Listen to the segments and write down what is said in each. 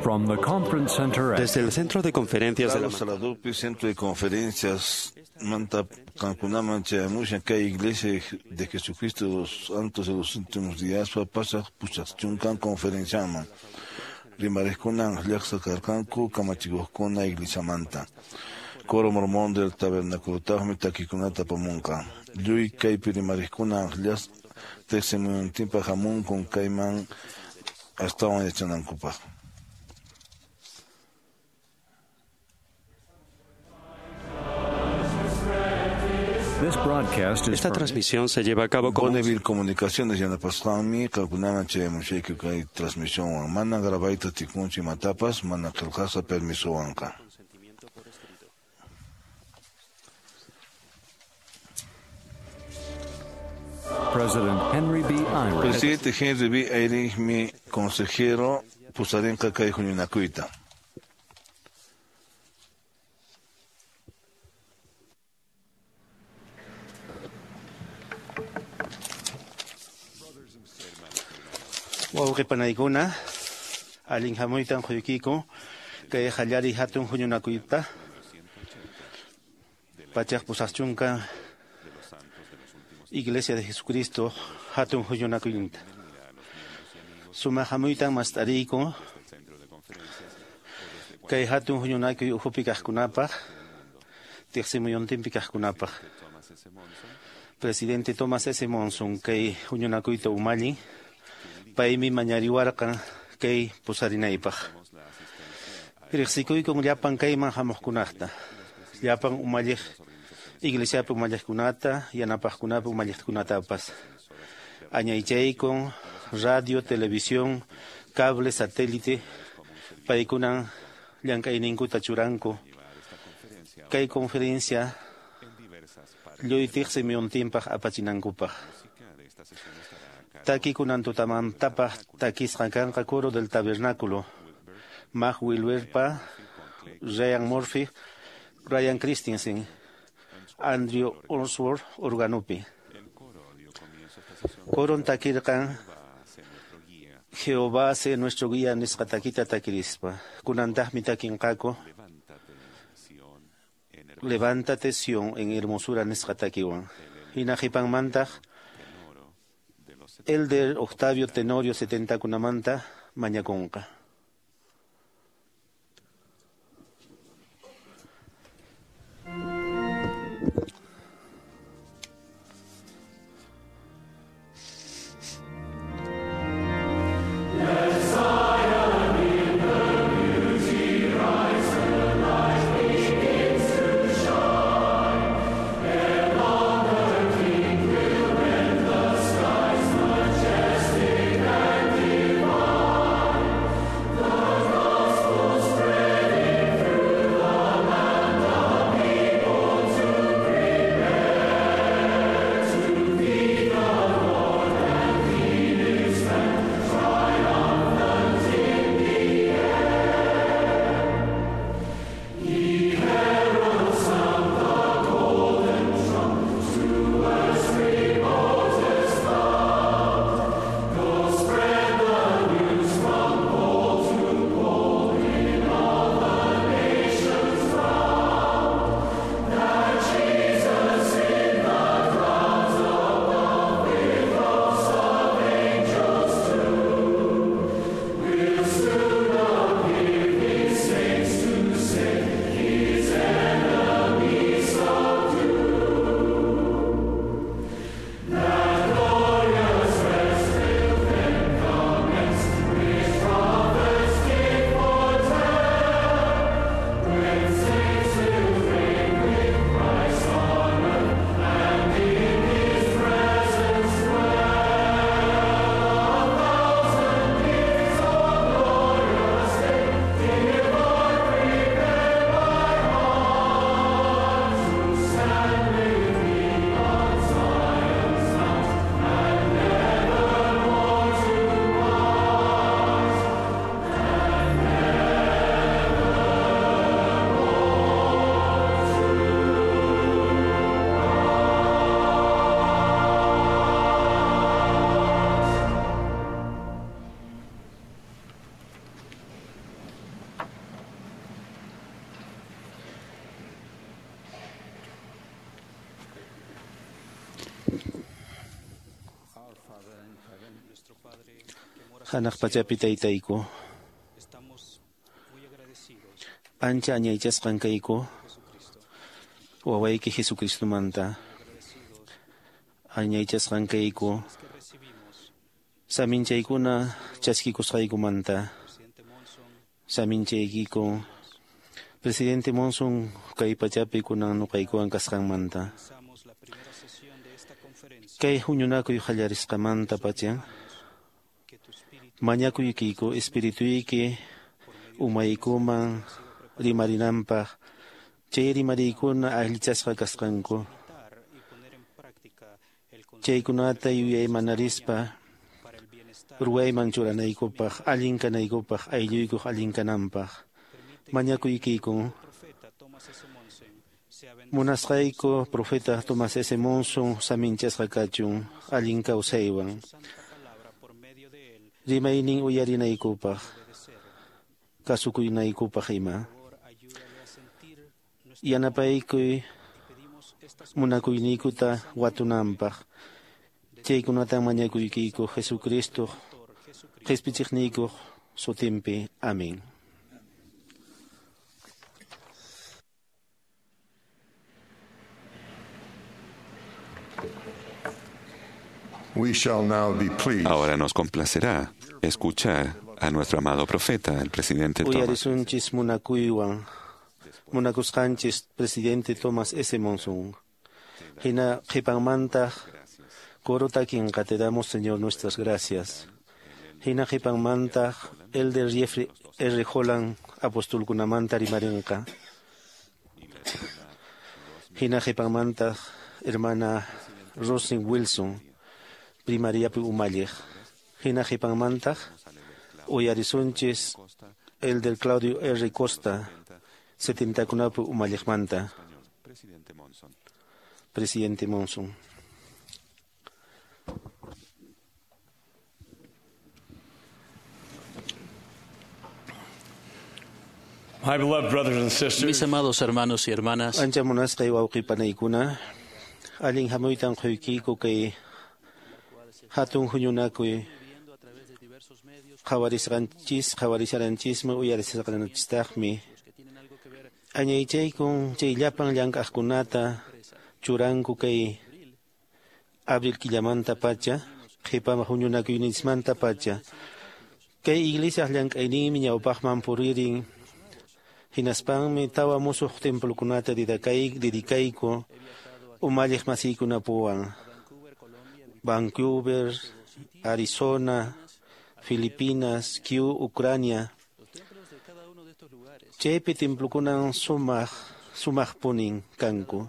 From the conference center at Desde el Centro de Conferencias de la Carlos Saladupi, Centro de Conferencias, Manta Cancunaman, Chayamusha, kay Iglesia de Jesucristo de los Santos de los Últimos Días, Pasa, Puchachuncan, Conferenciaman. Rimarescunan, Llaxa Carcanco, Kamachigoscuna, Iglesia Manta. Coro Mormón del Tabernáculo Tajmi, Taquikunata Pamunca. Yui Kaipi Rimarescunan, Llas, Texemuntimpa Jamun, con Caiman, hasta Yachanancupa. This broadcast is Esta transmisión se lleva a cabo con Bonneville Comunicaciones yanapasqanmi qamkunaman chayamushayku kay transmisionwan mana grabayta tikunchu imatapas mana qillqasqa permisowanqa. President Henry B. Eyring. Presidente Henry B. Eyring consejero pusarinqa kay huñunakuyta. Wawqi panaykuna, allin hamuytan quykiku, kay qallariy hatun huñunakuyta, pachaq pusaqchunka Iglesia de Jesucristo hatun huñunakuyta. Sumaq hamuytan mast'ariyku, kay hatun huñunakuy ukhupi kaqkunapaq, tiqsimuyuntinpi kaqkunapaq. Presidente Thomas S. Monson kay huñunakuyta umallin, paymi mañariwarqan kay pusarinaypaq. Riqsikuykun llapan kayman hamuqkunaqta, llapan umalliq iglesiapi umalliqkunata, yanapaqkunapi umalliqkunatapas. Añaychaykun radio, televisión, cable, satélite, paykunan llank'ayninkuta churanku. Kay conferencia lluy tiqsi muyuntinpaq apachinankupaq. Takikunan tutamantapaq takisqa kanqa coro del tabernáculo. Mag Wilberpa, Ryan Murphy, Ryan Christensen, Andrew Onsworth organopi. Coron takirqan Jehová sea nuestro guía nisqa takita takirispa. Kunantaqmi takinqaku Levántate Sion en hermosura nisqa takiwan. Hina qhipanmantaq Elder Octavio Tenorio 70 kunamanta mañakunqa. Hanaq pachapi taytayku. Ancha añaychasqan kayku wawayki Jesucristomanta. Añaychasqan kayku saminchaykuna chaskikusqaykumanta. Saminchaykiku Presidente Monson kay pachapi kunan nuqaykuwan kasqanmanta. Kay huñunakuy qallarisqamanta pacha mañakuykiku espirituyki umaykuman rimarinanpaq chay rimariykuna allichasqa kasqanku. Chaykunata yuyaymanarispa ruwayman churanaykupaq, allin kanaykupaq, aylluykuq allin kananpaq. Mañakuykiku munasqayku profeta Thomas S. Monson saminchasqa kachun allin kawsaywan rimaynin uyarinaykupaq, kasukuynaykupaq ima. Yanapaykuy munakuyniykuta watunanpaq. Chaykunatan mañakuykiku Jesucristo qhispichiqniykuq sutinpi. Amén. We shall now be pleased. Ahora nos complacerá escuchar a nuestro amado profeta, el presidente Thomas. Uyarisunchis munakuywan munakusqanchis presidente Thomas S. Monson. Hina qhipanmantaq coro takinqa te damos, Señor, nuestras gracias. Hina qhipanmantaq Elder Jeffrey R. Holland apostolkunamanta rimarinqa. Hina qhipanmantaq hermana Rosin Wilson primariapi umalliq. Hina qhipanmantaq uyarisunchis Elder Claudio R. Costa setentakunapi umalliqmanta. Presidente Monson. My beloved brothers and sisters, Mis amados hermanos y hermanas, Ancha munasqay wawqipanaykuna, allin hamuytan quykiku kay hatun huñunakuy qhawarisqanchis, qhawarisaranchismi, uyarisqanchistaqmi. Añaychaykun chay llapan llank'aqkunata churanku kay abril killamanta pacha, qhipaman huñunakuyninchismanta pacha. Kay iglesiaq llank'ayninmi ñawpaqman puririn. Hinaspanmi tawa musuq templokunata dedicayku umalliq masiykunapuwan. Vancouver, Arizona, Filipinas, Kiev, Ucrania. Chaypi templokunan sumaqpunin kanku.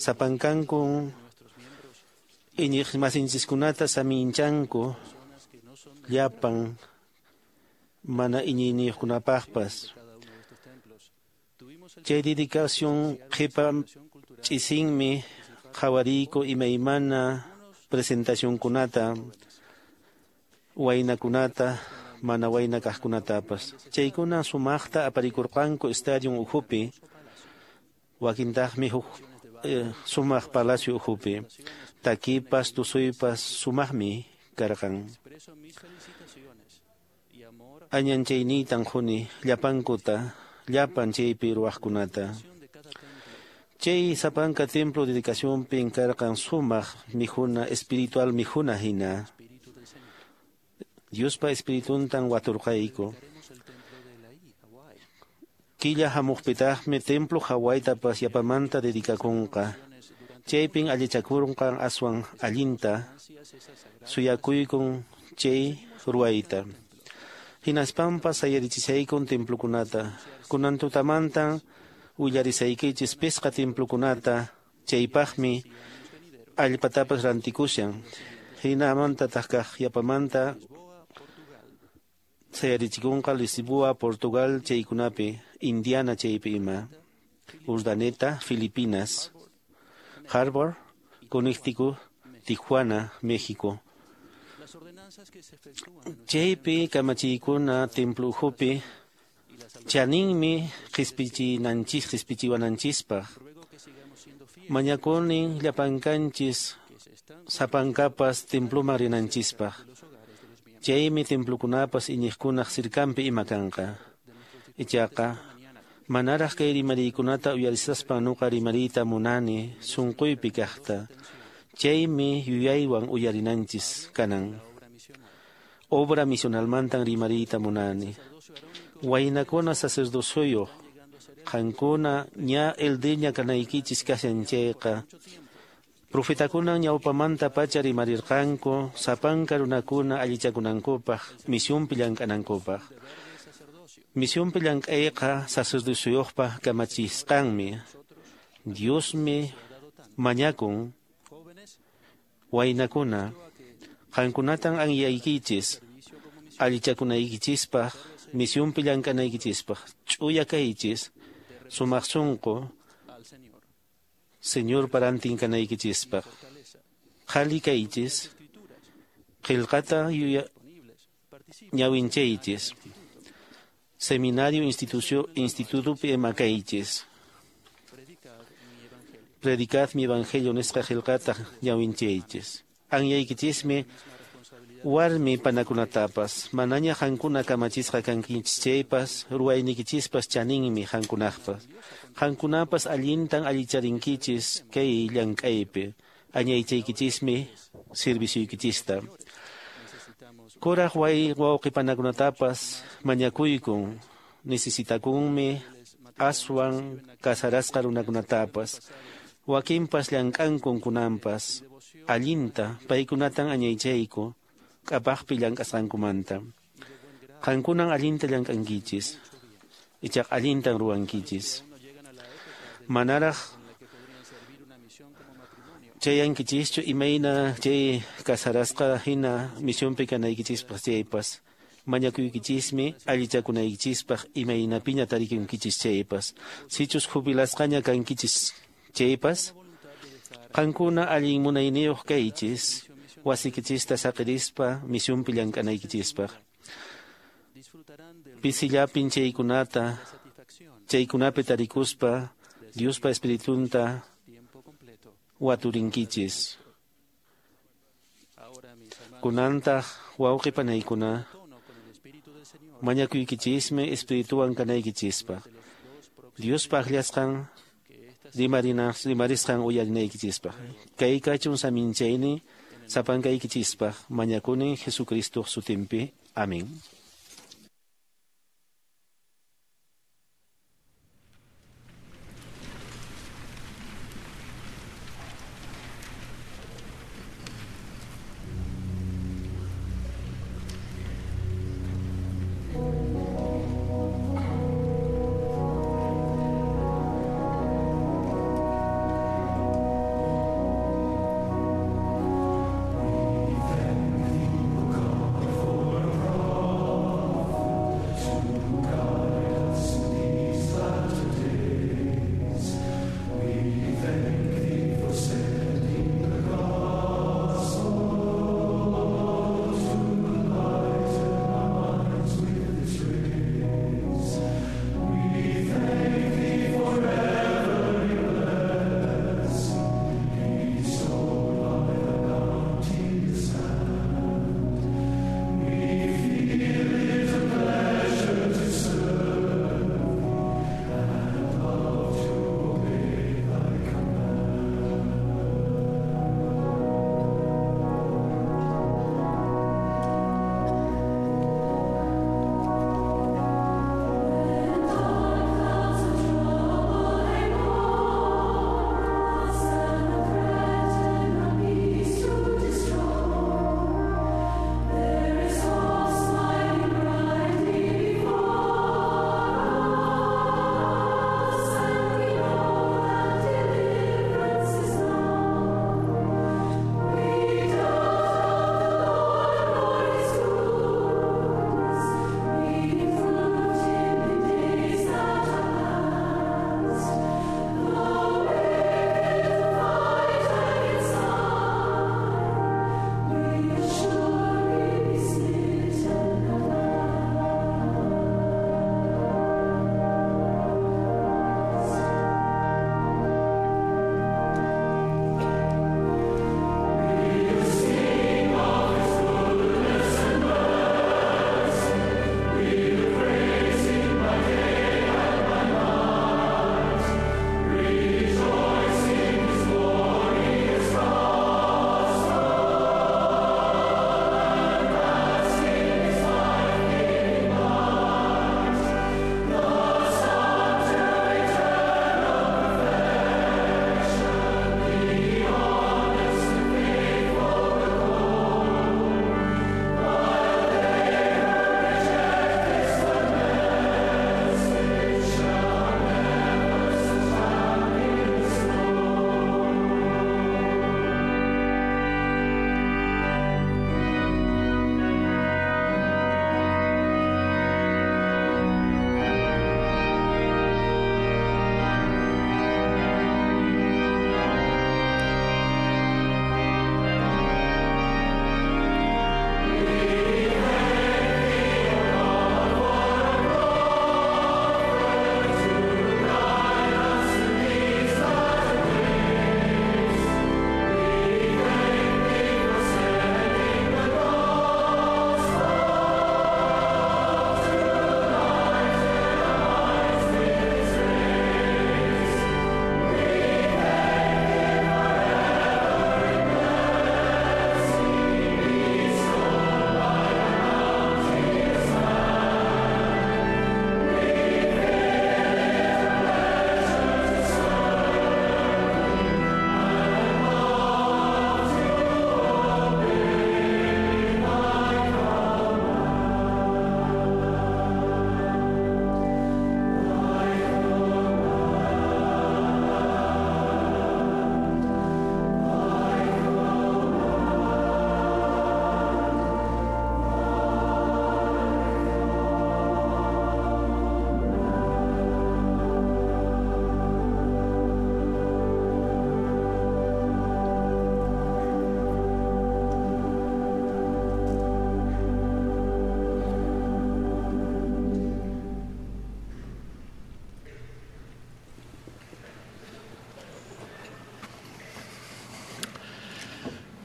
Sapankanku iñiq masinchiskunata saminchanku llapan mana iñiyniyuqkunapaqpas. Chay dedicación qhipa ch'isinmi qhawariyku imaymana presentacionkunata, waynakunata, mana wayna kaqkunatapas. Chaykuna sumaqta aparikurqanku estadio ukhupi, wakintaqmi huk sumaq palacio ukhupi. Takipas, tusuypas sumaqmi karqan. Añanchayniytan quni llapankuta, llapan chaypi ruwaqkunata. Chay sapanka templo dedicacionpin karqan sumaq mijuna, espiritual mijuna hina. Diospa espirituntan waturqayku. Killa hamuqpitaqmi templo Hawaiitapas yapamanta dedicakunqa. Chaypin allichakurqan aswan allinta suyakuykun chay ruwayta. Hinaspanpas sayarichisaykun templokunata. Kunan tutamantan willarisaykichis pisqa templokunata, chaypaqmi allpatapas rantikushan. Hinamantataq kaq yapamanta sayarichikunqa Lisboa, Portugal chaykunapi, Indiana chaypi ima, Urdaneta, Filipinas, Harbor, Connecticut, Tijuana, México. Chaypi kamachiykuna templo ukhupi chaninmi qispichinanchis, qispichiwananchispaq. Mañakunin llapankanchis sapankapas temploman rinanchispaq. Chaymi templokunapas iñiqkunaq sirkanpi ima kanqa. Ichaqa manaraq kay rimariykunata uyarisaspa nuqa rimariyta munani sunquypi kaqta. Chaymi yuyaywan uyarinanchis kanan. Obra misionalmantan rimariyta munani. Waynakuna sacerdocioyuq qankuna ña eldeña kanaykichis kashan chayqa. Profetakuna ñawpamanta pacha rimarirqanku sapanka runakuna allichakunankupaq misionpi llank'anankupaq. Misionpi llank'ayqa sacerdocioyuqpa kamachisqanmi. Diosmi mañakun waynakuna qankunatan anyaykichis allichakunaykichispaq misionpi llank'anaykichispaq ch'uya kaychis sumaq sunqu Señor parantin kanaykichispaq. Qhali kaychis qillqata ñawinchaychis seminario institutopi ima kaychis. Predicad mi evangelio nisqa qillqata ñawinchaychis. Anyaykichismi warmi panakunatapas manaña qankuna kamachisqa kankichis chaypas ruwaynikichispas chaninmi qankunaqpas. Qankunapas allintan allicharinkichis kay llank'aypi añaychaykichismi servicioykichista. Kuraq wawqi panakunatapas mañakuykun necesitakunmi aswan casarasqa runakunatapas. Wakinpas llank'ankun kunanpas allinta paykunatan añaychayku k'apaqpi llank'asqankumanta. Qankunan allinta llank'ankichis ichaqa allintan ruwankichis. Manaraq chayankichischu imayna chay casarasqa hina misionpi kanaykichispaq chaypas mañakuykichismi allichakunaykichispaq imaynapiña tarikunkichis chaypas. Sichus jubilasqaña kankichis chaypas qankuna allin munayniyuq kaychis wasikichista saqirispa misionpi llank'anaykichispaq. Pisillapin chaykunata chaykunapi tarikuspa Diospa espiritunta waturinkichis. Kunantaq wawqi panaykuna mañakuykichismi espirituwan kanaykichispaq. Diospa akllasqan rimarisqan uyarinaykichispaq. Kay kachun saminchayni sapankaykichispaq mañakuni Jesucristo sutinpi. Amén. For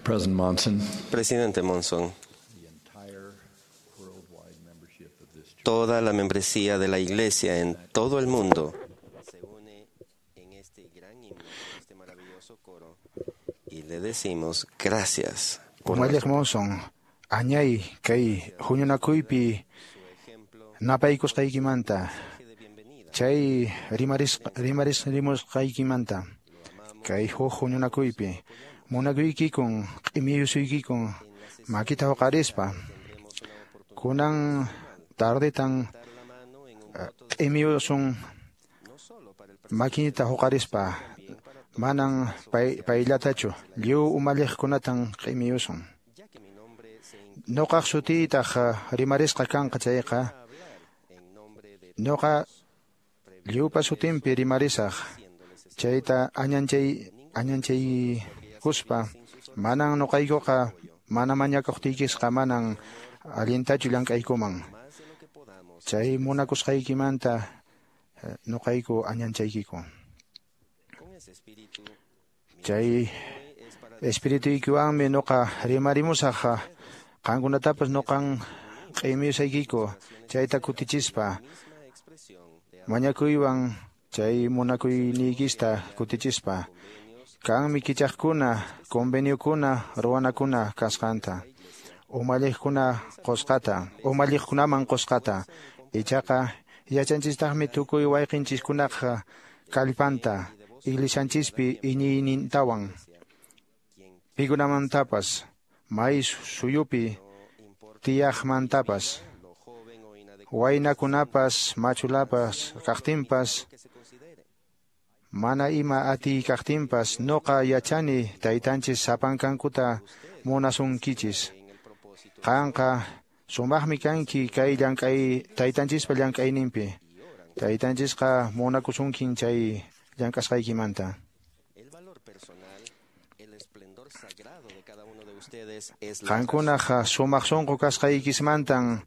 President Monson. Presidente Monson, toda la membresía de la Iglesia en todo el mundo se une en este gran himno, en este maravilloso coro, y le decimos gracias por Umalliq Monson, añay kay huñunakuypi napaykusqaykimanta, chay rimarisqaykimanta, kay huk huñunakuypi munakuykikun, q'imiyusuykikun makita huqarispa, kunan tardetan q'imiyusun makinita huqarispa, manan payllatachu lliw umalliqkunatan q'imiyusun. Nuqaq sutiytaq rimarisqa kanqa chayqa, nuqa lliwpa sutinpi rimarisaq, chayta añanchaykuspa, manan nuqaykuqa mana mañakuqtiykisqa manan allintachu llank'aykuman. Chay munakusqaykimanta nuqayku añanchaykiku. Chay espirituykiwanmi nuqa rimarimusaq, qankunatapas nuqan q'imiyusaykiku, chayta kutichispa, mañakuywan chay munakuyniykista kutichispa, kanmi kichaqkuna, conveniokuna, ruwanakuna kasqanta, umalliqkuna qusqata, umalliqkunaman qusqata, ichaqa yachanchistaqmi tukuy wayqinchiskunaqa kallpanta, iglesianchispi iñiynintawan, pikunamantapas, may suyupi tiyaqmantapas, waynakunapas, machulapas kaqtinpas, mana ima atiy kaqtinpas, nuqa yachani taytanchis sapankankuta munasunkichis. Qanqa sumaqmi kanki kay llank'ay taytanchispa llank'ayninpi. Taytanchisqa munakusunkin chay llank'asqaykimanta. Qankunaqa sumaq sunqu kasqaykismantan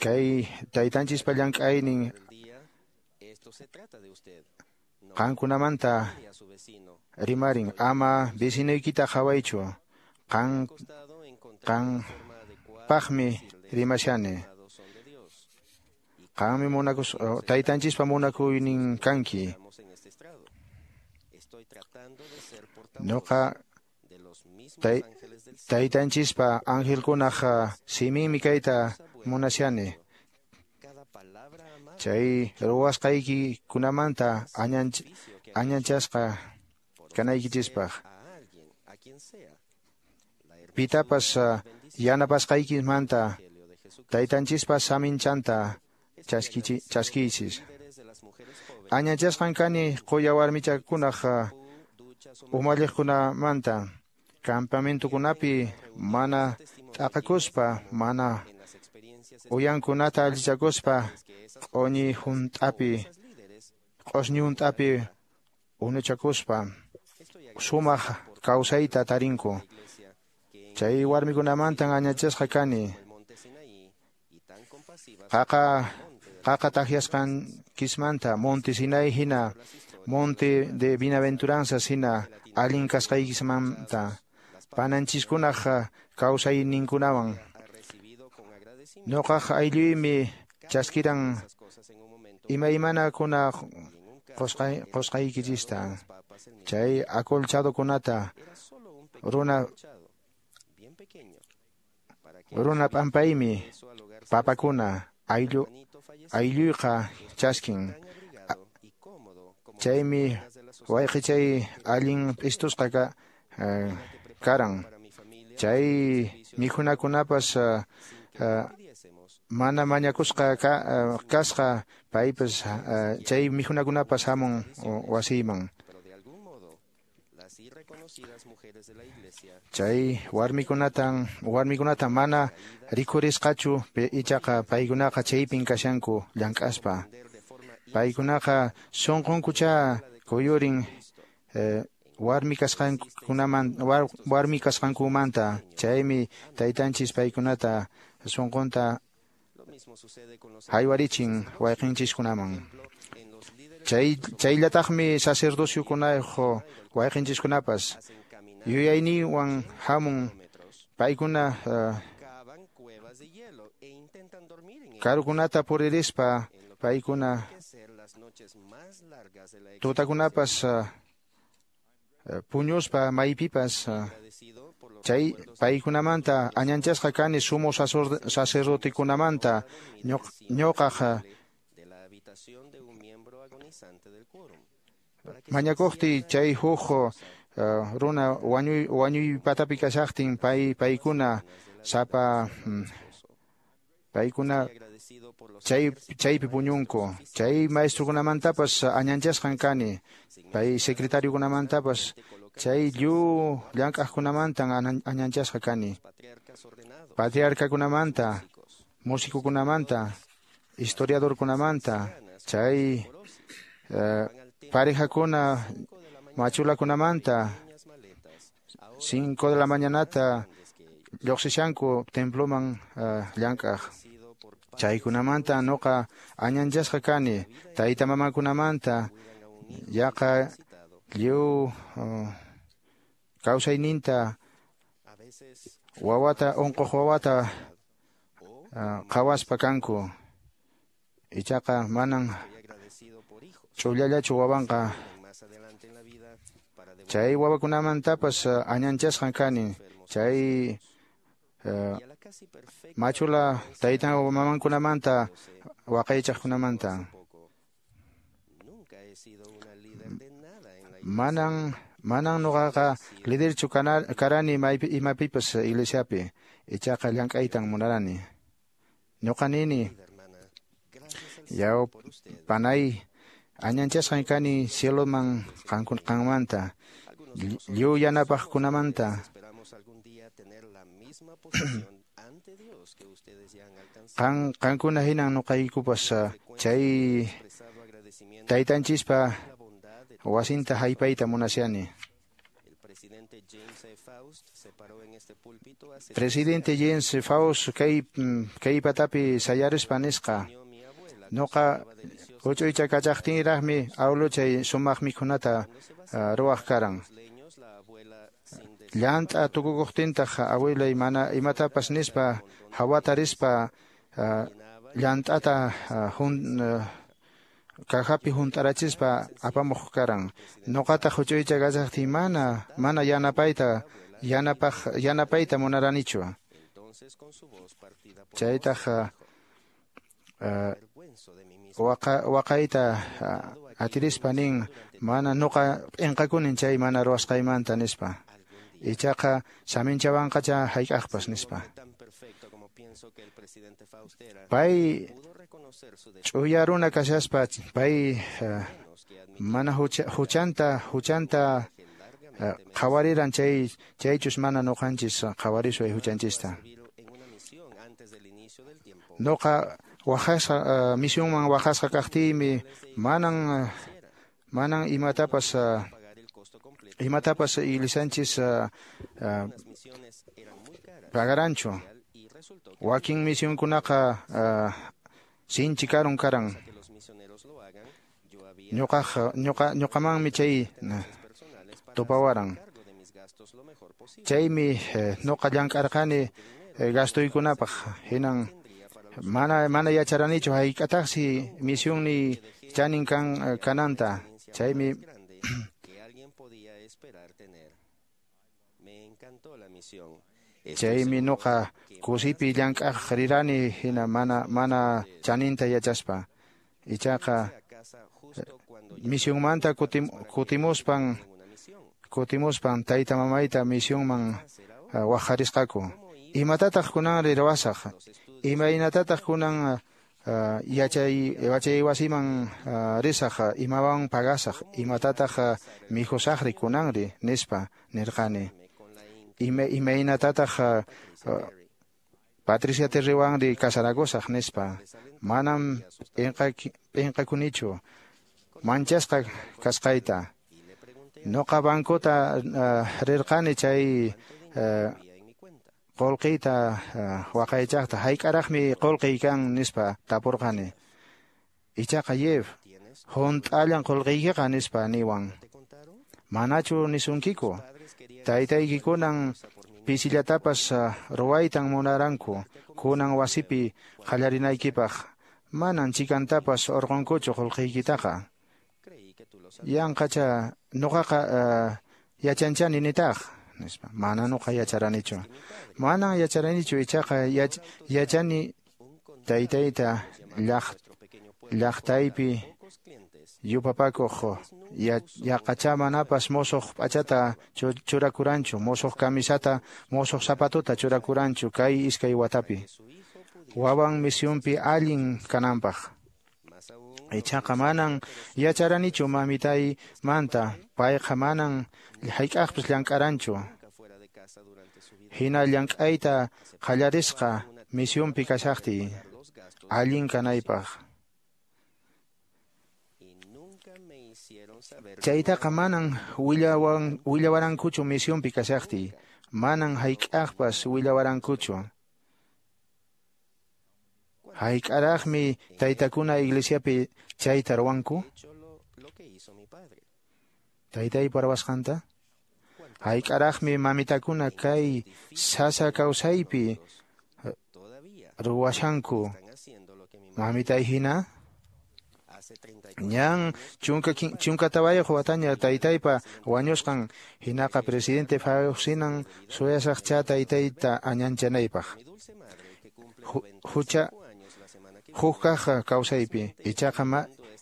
kay taytanchispa llank'aynin qankunamanta rimarin, ama vecinoykita qhawaychu, qanpaqmi rimashani. Qanmi munakus taytanchispa munakuynin kanki. Nuqa taytanchispa angelkunaq siminmi kayta munashani. Chay ruwasqaykikunamanta añanchasqa kanaykichispaq. Pitapas yanapasqaykimanta taytanchispa saminchanta chaskiychis. Añanchasqan kani quya warmichakunaq umalliqkunamanta, campamentokunapi mana t'aqakuspa, mana uyankunata allichakuspa, q'uñi hunt'api unuchakuspa sumaq kawsayta tarinku. Chay warmikunamantan añachasqa kani. Qaqa takyasqankismanta, Monte Sinai hina, Monte de Bienaventuranzas hina, allin kasqaykismanta, pananchiskunaq kawsayninkunawan. Nuqaq aylluymi chaskiran imaymanakuna qusqaykichista, chay acolchadokunata, runa p'ampaymi papakuna aylluyqa chaskin. Chaymi wayqichay allin p'istusqa karan. Chay mikhunakunapas mana mañakusqa kasqa, paypas chay mikhunakunapas hamun wasiyman. Chay warmikunata mana rikurisqachu, ichaqa paykunaqa chaypin kashanku llank'aspa. Paykunaqa sunqunkucha kuyurin warmi kasqankumanta, chaymi taytanchis paykunata sunqunta haywarichin wayqinchiskunaman. Chayllataqmi sacerdociokunayuq wayqinchiskunapas yuyayninwan hamun paykuna karukunata puririspa paykuna tutakunapas puñuspa maypipas chay paykunamanta añanchasqa kani sumo sacerdotekunamanta ñuqaq mañakuqti chay huk runa wañuy patapi kashaqtin paykuna sapa paykuna chaypi puñunku chay maestrukunamantapas añanchasqan kani pay secretariokunamantapas chay lliw llank'aqkunamantan añanchasqa kani patriarcakunamanta musicokunamanta historiadorkunamanta chay parejakuna machulakunamanta 5 de la mañanata lluqsishanku temploman llank'aq chaykunamanta nuqa añanchasqa kani tayta mamakunamanta yaqa lliw kawsayninta wawata unquq wawata qhawaspa kanku ichaqa manan ch'ullallachu wawanqa chay wawakunamantapas añanchasqan kani chay machula taytan mamankunamanta waqaychaqkunamanta manan nuqaqa liderchu karani imapipas iglesiapi ichaqa llank'aytan munarani ñuqa nini yaw panay añanchasqan kani cieloman qanmanta lliw yanapaqkunamanta qankuna hinan nuqaykupas chay taytanchispa wasinta haypayta munashani. Presidente James Faust kay patapi sayarispa nisqa nuqa huch'uycha kachaqtinraqmi awluchay sumaq mikhunata ruwaq karan. Llant'a tukukuqtintaq abuelay mana imatapas nispa hawata rispa llant'ata cajapi hunt'arachispa apamuq karan. Nuqataq huch'uycha kachaqtiy mana yanapayta munaranichu. Chaytaq waqayta atirispa nin mana nuqa p'inqakunin chay mana ruwasqaymanta nispa. Ichaqa saminchawanqacha hayk'aqpas nispa. Pay ch'uya runa kashaspa pay mana huchanta qhawariran chaychus mana nuqanchis qhawarisway huchanchista. Nuqa waqasqa misionman waqasqa kaqtiymi manan imatapas iglesianchis pagaranchu. Wakin misionkunaqa sinchi karun karan. Ñuqamanmi chay tupawaran. Chaymi ñuqa llank'arqani gastoykunapaq hinan mana yacharanichu hayk'ataqsi misionniy chanin kananta. Chaymi chaymi nuqa kusipi llank'aq rirani hina mana chaninta yachaspa. Ichaqa misionmanta kutimuspan tayta mamayta misionman waqharisqaku. Imatataq kunanri ruwasaq? Imaynatataq kunan yachay wasiman risaq? Imawan pagasaq? Imatataq mikhusaqri kunanri? Nispa nirqani. Imaynatataq Patricia Terrywanri kasarakusaq nispa. Manam p'inqakunichu manchasqa kasqayta. Nuqa bancota rirqani chay qullqiyta waqaychaqta hayk'araqmi qullqiy kan nispa tapurqani. Ichaqa Jeff hunt'allan qullqiykiqa nispa niwan. Manachu nisunkiku? Taytaykikunan pisillatapas ruwaytan munaranku kunan wasipi qallarinaykipaq. Manan chikantapas urqunkuchu qullqiykitaqa. Yanqacha nuqaqa yachanchani nitaq nispa. Mana nuqa yacharanichu. Manan yacharanichu ichaqa yachani taytayta llaqtaypi yupapakuq yaqacha manapas mosoq p'achata churakuranchu, mosoq camisata, mosoq zapatuta churakuranchu kay iskay watapi. Wawan misionpi allin kananpaq. Ichaqa manan yacharanichu mamitaymanta, payqa manan hayk'aqpas llank'aranchu. Hina llank'ayta qallarisqa misionpi kashaqtiy allin kanaypaq. Chaytaqa manan willawarankuchu misionpi kashaqtiy, manan hayk'aqpas willawarankuchu. Hayk'araqmi taytakuna iglesiapi chayta ruwanku? Taytaypa ruwasqanta? Hayk'araqmi mamitakuna kay sasa kawsaypi ruwashanku mamitay hina? Ñan 14 wataña taytaypa wañusqan hinaqa presidente Faucinan suyasaqcha taytayta añanchanaypaq. Hucha huk kaq kawsaypi ichaqa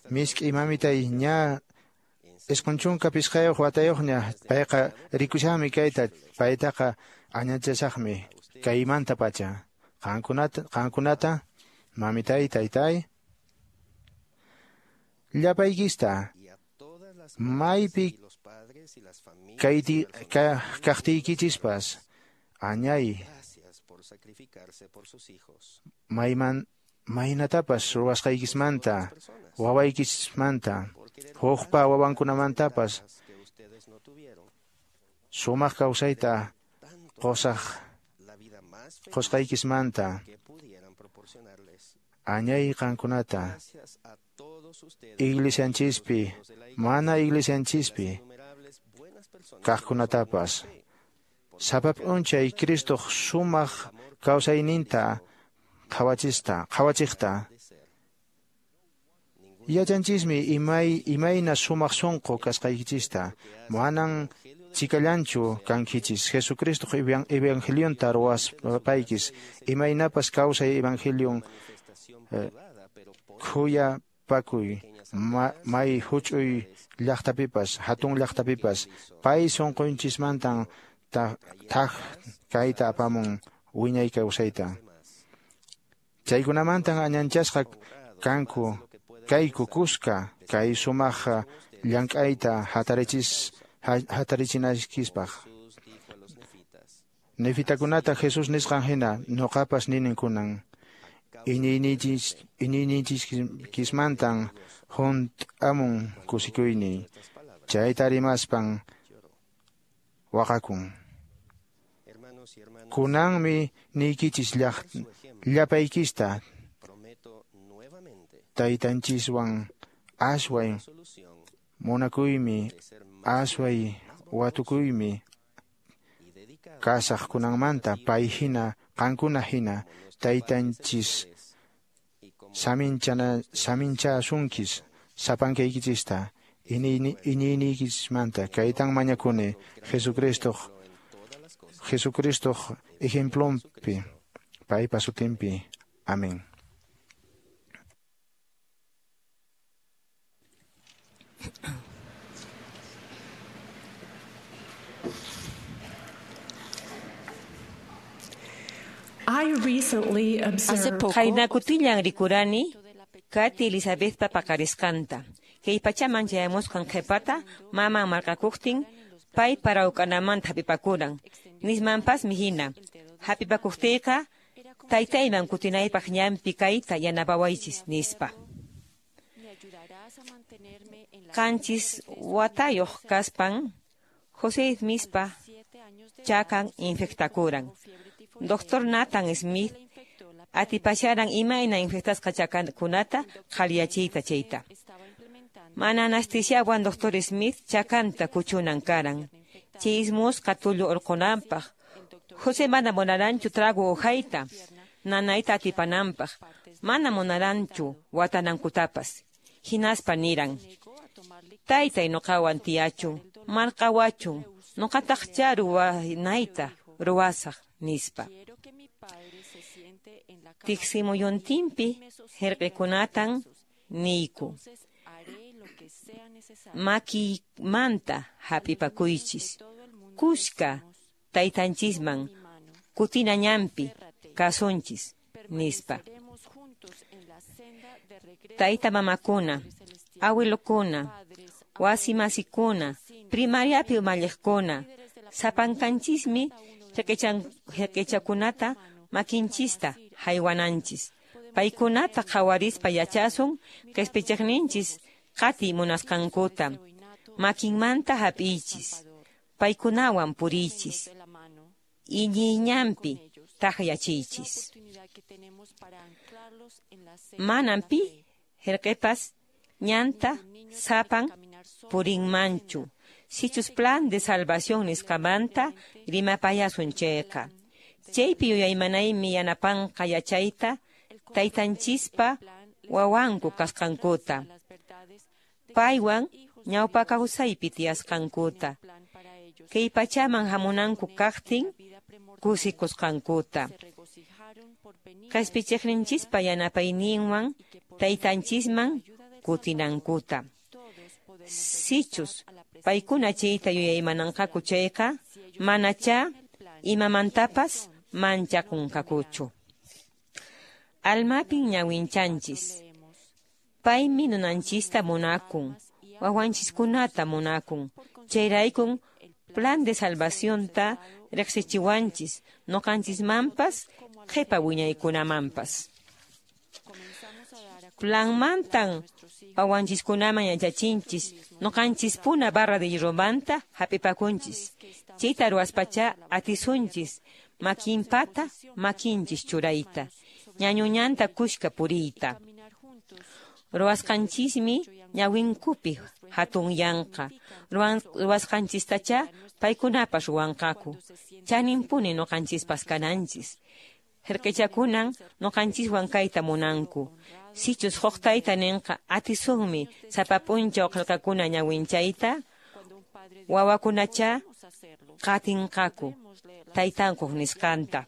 misk'i mamitay ña 95 watayuqña payqa rikushanmi kayta, paytaqa añanchasaqmi kaymanta pacha. Qankunata mamitay taytay llapaykista maypi kaqtiykichispas añay maynatapas ruwasqaykismanta, wawaykismanta, hukpa wawankunamantapas sumaq kawsayta qusqaykismanta añay qankunata iglesianchispi mana iglesianchispi kaqkunatapas sapa p'unchay Cristoq sumaq kawsayninta qhawachiqta. Yachanchismi imayna sumaq sunqu kasqaykichista, manan chikallanchu kankichis Jesucristoq evangelionta ruwaspaykis, imaynapas kawsay evangelion khuyapakuy may huch'uy llaqtapipas hatun llaqtapipas pay sunqunchismantan thak kayta apamun wiñay kawsayta. Chaykunamantan añanchasqa kanku kayku kuska kay sumaq llank'ayta hatarichinaykispaq. Nefitakunata Jesús nisqan hina nuqapas ninin kunan iñiyniykismantan hunt'amun kusikuyniy, chayta rimaspan waqakun. Kunanmi niykichis llapaykista taytanchiswan asway munakuymi, asway watukuymi kasaq kunanmanta pay hina qankuna hina taytanchis saminchasunkis sapankaykichista iñiyniykichismanta. Kaytan mañakuni Jesucristoq ejemplonpi, paypa sutinpi. Amén. Hace poco, Qaynakutillan rikurani Kati Elizabethpa paqarisqanta. Kay pachaman chayamusqan qhipata maman marqakuqtin pay parawk'anamanta hap'ipakuran. Nismanpasmi hina hap'ipakuqtiyqa taytayman kutinaypaq ñanpi kayta yanapawaychis nispa. 7 watayuq kaspan José Smithpa chakan infectakuran. Doctor Nathan Smith atipasharan imayna infectasqa chakankunata qhaliyachiyta chayta. Mana anestesiawan Doctor Smith chakanta kuchunan karan. Chay ismusqa tullu urqunanpaq. José mana munaranchu trago uhayta, nanayta atipananpaq. Mana munaranchu watanankutapas. Hinaspa niran: Taytay nuqawan tiyachun, marqawachun, nuqataqchá ruwanayta ruwasaq, nispa. Tiksimuyuntinpi hirqikunatan niyku: Makiymanta hap'ipakuychis, kuska taytanchisman kutina ñanpi kasunchis, nispa. Tayta mamakuna, awilukuna, wasimasikuna, primariapi umalliqkuna, sapankanchismi hirqichakunata makinchista haywananchis. Paykunata qhawarispa yachasun qispichiqninchis qatiy munasqankuta. Makinmanta hap'iychis, paykunawan puriychis, iñiyñanpi takyachiychis. Manan pi hirqipas ñanta sapan purinmanchu. Sichus plan de salvación nisqamanta rimapayasun chayqa. Chaypi yuyaymanaymi yanapanqa yachayta taytanchispa wawanku kasqankuta, paywan ñawpa kawsaypi tiyasqankuta, kay pachaman hamunanku kaqtin kusikusqankuta. Qispichiqninchispa yanapayninwan taytanchisman kutinankuta. Sichus paykuna chayta yuyaymananqaku chayqa, manachá imamantapas manchakunqakuchu. Almapin ñawinchanchis. Paymi nunanchista munakun, wawanchiskunata munakun. Chayraykun plan de salvacionta riqsichiwanchis, nuqanchismanpas, qhipa wiñaykunamanpas. Planmantan wawanchiskunaman yachachinchis, nuqanchispuna barra de hierromanta hap'ipakunchis. Chayta ruwaspachá atisunchis makinpata makinchis churayta, ñañuñanta kushka puriyta. Ruwasqanchismi ñawinkupi hatunyanqa, ruwasqanchistachá paykunapas ruwanqaku. Chaninpuni nuqanchispas kananchis. Hirqichakunan nuqanchiswan kayta munanku. Sichus huk tayta ninqa atisunmi sapa p'unchaw qillqakuna ñawinchayta, wawakunachá qatinqaku taytankuq nisqanta.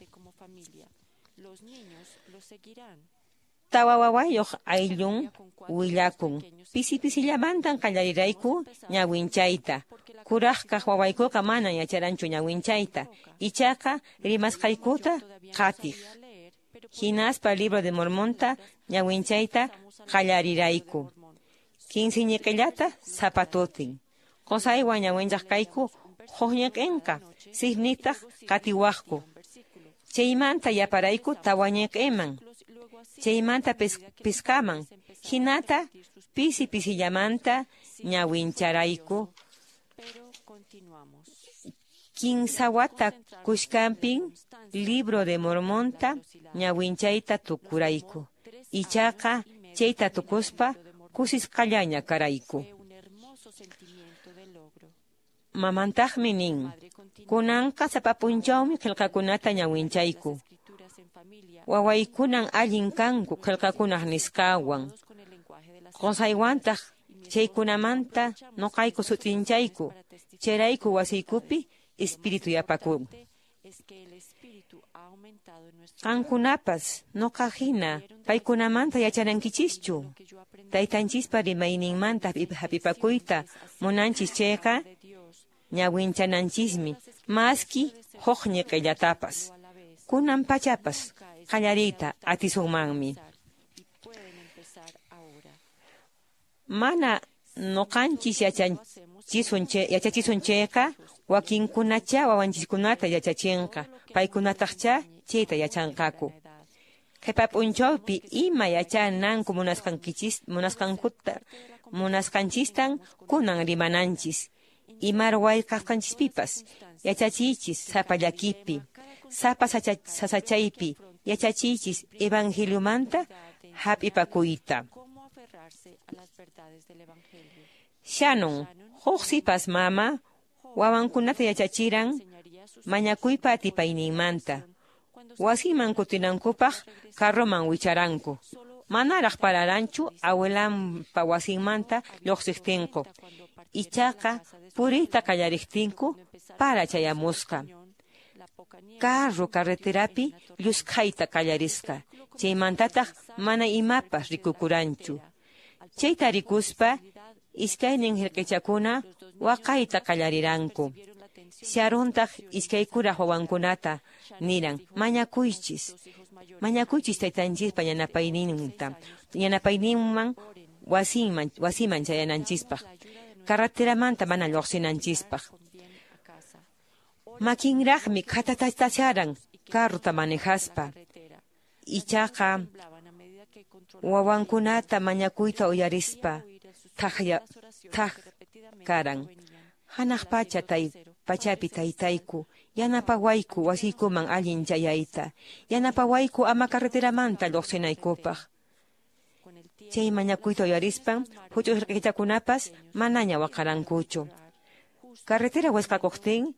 Tawa wawayuq ayllun willakun: Pisi pisillamantan qallarirayku ñawinchayta. Kuraqkaq wawaykuqa manan yacharanchu ñawinchayta, ichaqa rimasqaykuta qatiq. Hinaspa Libro de Mormonta ñawinchayta qallarirayku. 15 ñiqillata sapa tutin. Qusaywan ñawinchaq kayku huk ñiqinqa, sisnitaq qatiwaqku. Chaymanta yaparayku tawa ñiqiman, chaymanta pisqaman, hinata pisi pisillamanta ñawincharayku. 15 wata kushkanpin Libro de Mormonta ñawinchayta tukurayku. Ichaqa chayta tukuspa kusisqallaña karayku. Mamantaqmi nin: Kunanqa sapa p'unchawmi qillqakunata ñawinchayku. Wawaykunan allin kanku qillqakunaq nisqawan. Qusaywantaq chaykunamanta nuqayku sut'inchayku. Chayrayku wasiykupi espíritu yapakun. Qankunapas nuqa hina paykunamanta yachanankichischu. Taytanchispa rimayninmanta hap'ipakuyta munanchis chayqa ñawinchananchismi maski huk ñiqillatapas. Kunan pachapas qallariyta atisunmanmi. Mana nuqanchis yachachisun chayqa, wakinkunachá wawanchiskunata yachachinqa, paykunataqchá chayta yachanqaku. Qhipa p'unchawpi ima yachananku munasqanchistan kunan rimananchis. Ima ruway kasqanchispipas yachachiychis sapa llakipi, sapa sasachaypi yachachiychis evangeliomanta hap'ipakuyta. Shannon, huk sipas mama, Wawankunata yachachiran mañakuypa atipayninmanta. Wasiman kutinankupaq carroman wicharanku. Manaraq pararanchu abuelanpa wasinmanta lluqsiqtinku. Ichaqa puriyta qallariqtinku para chayamusqa. Carro carreterapi llusk'ayta qallarisqa. Chaymantataq mana imapas rikukuranchu. Chayta rikuspa iskaynin hirqichakuna waqayta qallariranku. Sharontaq iskay kuraq wawankunata niran mañakuychis. Mañakuychis taytanchispa yanapayninta. Yanapayninman wasiman chayananchispaq. Carreteramanta mana lluqsinanchispaq. Makinraqmi khatatatasharan carrota manejaspa. Ichaqa wawankunata mañakuyta uyarispa thaq karan. Hanaq pacha pachapi taytayku, yanapawayku wasiykuman allin chayayta, yanapawayku ama carreteramanta lluqsinaykupaq. Chay mañakuyta uyarispan huch'uy hirqichakunapas manaña waqarankuchu. Carretera wisqakuqtin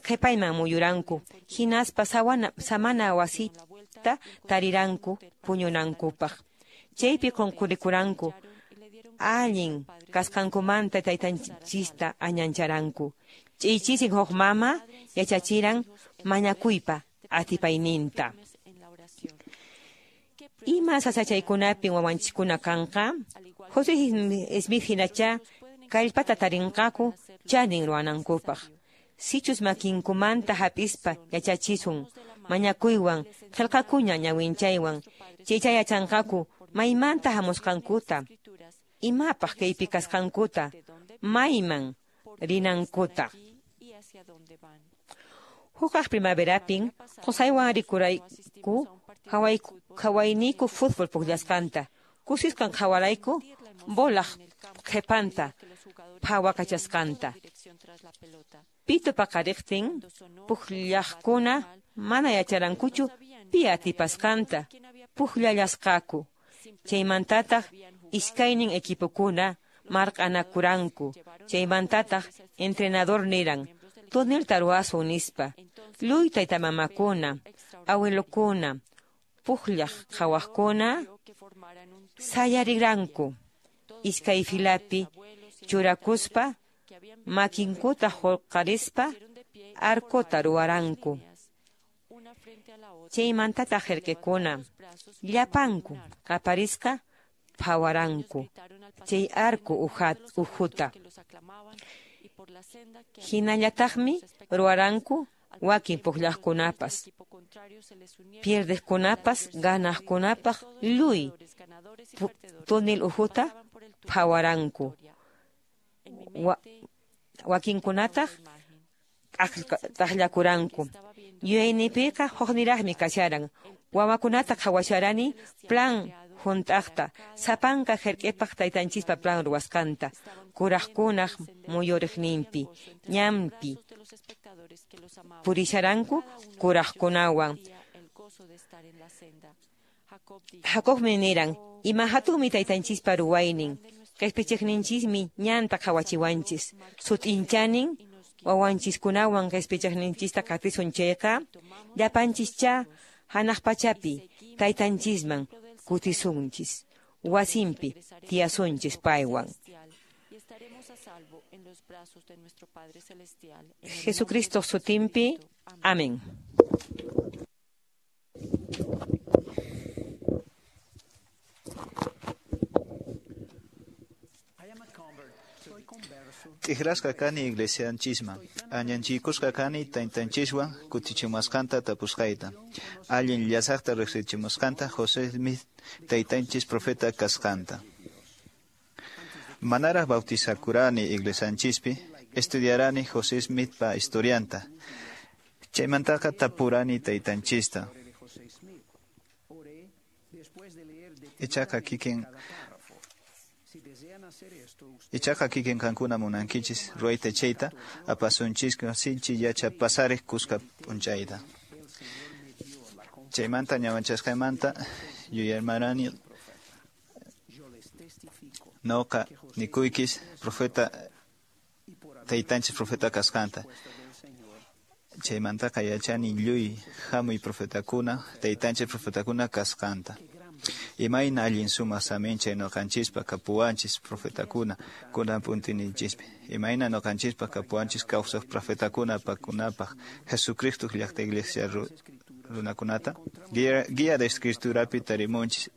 qhipayman muyuranku, hinaspa samana wasita tariranku puñunankupaq. Chaypi qunqurikuranku, allin kasqankumanta taytanchista añancharanku. Ch'iychisin huk mama yachachiran mañakuypa atipayninta. Ima sasachaykunapin wawanchiskuna kanqa? José Smith hinachá kallpata tarinqaku chanin ruwanankupaq. Sichus makinkumanta hap'ispa yachachisun mañakuywan qillqakuña ñawinchaywan chaycha yachanqaku maymanta hamusqankuta, imapaq kaypi kasqankuta, mayman rinankuta. Hukaq primaverapin qusaywan rikurayku qhawayniku fútbol pukllasqanta. Kusisqan qhawarayku bolaq qhipanta phawakachasqanta. Pito paqariqtin pukllaqkuna mana yacharankuchu pi atipasqanta pukllallasqaku. Chaymantataq iskaynin equipokuna marq'anakuranku. Chaymantataq entrenador niran tunelta ruwasun nispa. Luy taytamamakuna, awilukuna, pukllaq qhawaqkuna sayariranku. Iskay filapi churakuspa makinkuta huqarispa arcota ruwaranku. Chaymantataq hirqikuna llapanku qaparisqa phawaranku chay arco uhuta. Hinallataqmi ruwaranku wakin pukllaqkunapas, pierdeqkunapas ganaqkunapaq luy túnel uhuta phawaranku. Wakinkunataq t'aqllakuranku. Yuyaynipiqa hukniraqmi kasharan. Wawakunata qhawasharani plan hunt'aqta, sapanka hirk'ipaq taytanchispa plan ruwasqanta, kuraqkunaq muyuriqninpi, ñanpi purisharanku kuraqkunawan. Jacobmi niran, ima hatunmi taytanchispa ruwaynin, qispichiqninchismi ñanta qhawachiwanchis, sut'inchanin wawanchiskunawan qispichiqninchista qatisun chayqa, llapanchischa hanaq pachapi taytanchisman kutisunchis, wasinpi tiyasunchis paywan. Jesucristo sutinpi. Amén. T'ikrasqa kani iglesianchisman, añanchikusqa kani taytanchiswan kutichimusqanta tapusqayta, allin llasaqta riqsichimusqanta José Smith taytanchis profeta kasqanta. Manaraq bautizakurani iglesianchispi, estudiarani José Smithpa historianta. Chaymantaqa tapurani taytanchista. Ichaqa kikin qankuna munankichis ruwayta chayta apasunchisqa sinchi yachapasariq kuska p'unchayta. Chaymanta ñawanchasqaymanta yuyaymanani noqa nikuykis profeta taytanchis profeta kasqanta. Chaymantaqa yachani lluy hamuy profetakuna, taytanchis profetakuna kasqanta. Imayna allin sumaq saminchay noqanchispa kapuwanchis profetakuna kunan puntinichispi. Imayna noqanchispa kapuwanchis kawsaq profetakuna pakunapaq Jesucristo llaqta iglesia runakunata. Guía de escriturapi tarimunchis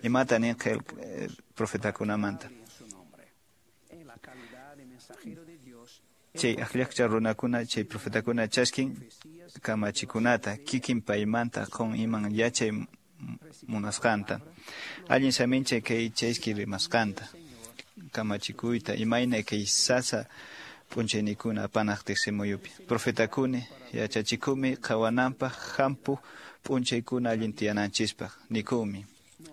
imata nin profetakunamanta. Chay akllaqcha runakuna chay profetakuna chaskin kamachikunata kikin paymanta qun iman yachay munasqanta. Allin saminchay kay chayski rimasqanta kamachikuyta imayna kay sasa p'unchaynikuna apanaq tiqsimuyupi. Profetakuni yachachikumi qhawananpaq hampu p'unchaykuna allin tiyananchispaq nikumi.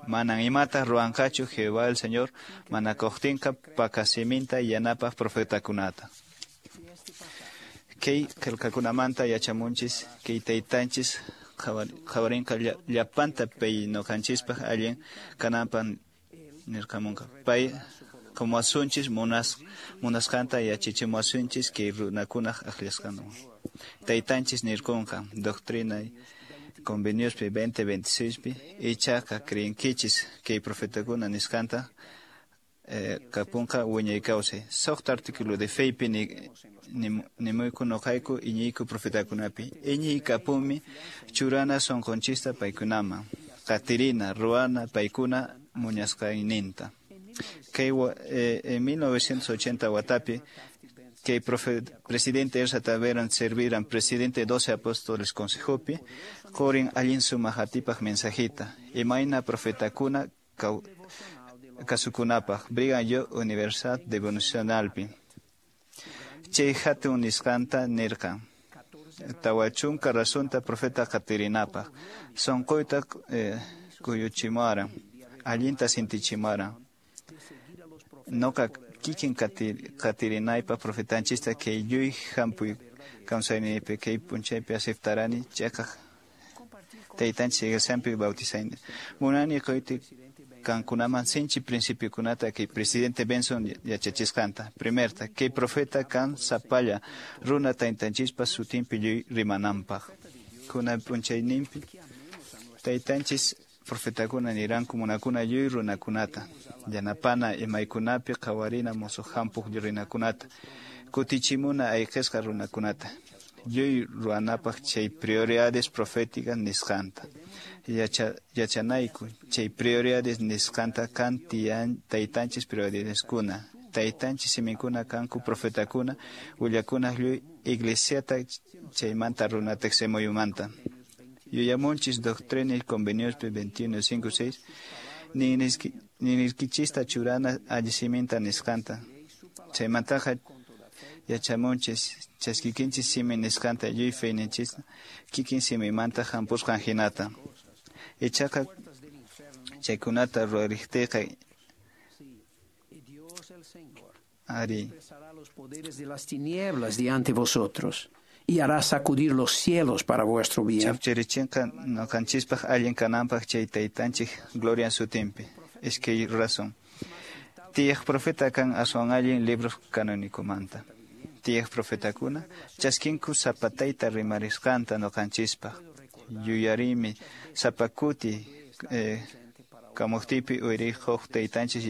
Manan imata ruwanqachu Jehová el Señor manakuqtinqa pakasiminta yanapaq profetakunata. Kay qillqakunamanta yachamunchis kay taytanchis qhawarinqa llapanta pay noqanchispaq allin kananpaq nirqamunqa. Pay qumuwasunchis munasqanta yachachimuwasunchis kay runakunaq akllasqanwan. Taytanchis nirqunqa doctrina conveniospi 2026pi ichaqa creenkichis kay profetakuna nisqanta kapunqa wiñay kawsay. Suqta artículo de feypi nimuyku noqayku iñiyku profetakunapi. Iñiy kapumi churana sunqunchista paykunaman. Qatirina ruwana paykuna muñasqayninta. Kay en 1980 watapi kay presidente Ersa Taberan serviran presidente 12 apóstoles consejopi qorin allin sumaq atipaq mensajita. Imayna profetakuna kasukunapaq Brigham Young Universidad Devocionalpi. Chay hatun nisqanta nirqan. 40 razonta profeta qatirinapaq. Sunquyta kuyuchimuwaran. Allinta sintichimuwaran. Noqa kikin qatirinaypaq profetanchista kay lluy hampuy kawsayniypi kay p'unchaypi aceptarani chayqa taytanchis iglesianpi bautizayni. Munani quyti kankunaman sinchi principiokunata kay presidente Benson yachachisqanta. Primerta, kay profeta kan sapalla runa taytanchispa sutinpi lluy rimananpaq. Kunan p'unchayninpi taytanchis profetakuna niranku munakuna lluy runakunata. Yanapana imaykunapi qhawarina musuq hampuq runakunata. Kutichimuna ayqisqa runakunata. Lluy ruwanapaq chay prioridades proféticas nisqanta. Yachanayku chay prioridades nisqanta kan taytanchis prioridadeskuna. Taytanchis siminkuna kanku profetakuna willakuna lluy iglesiata chaymanta runa tiqsimuyumanta. Yuyamunchis doctrina y conveniospi 21.5.6 ninirkichista churana allisiminta nisqanta. Chaymantaqa yachamunchis chaskikinchis simi nisqanta lluy feyninchista kikin simimanta hampusqan hinata. Ichaqa chaykunata ruwariqtiyqa ari los poderes de las tinieblas diante vosotros y hará sacudir los cielos para vuestro bien. Chapchirichinqa noqanchispaq allin kananpaq chay taytanchik gloria sutinpi. Iskay razón. Tiyaq profeta kan aswan allin libros canónicomanta. Tiyaq profetakuna chaskinku sapatayta rimarisqanta noqanchispaq. Yuyarimi sapakuti kamuqtipi uyriqhuq taytanchis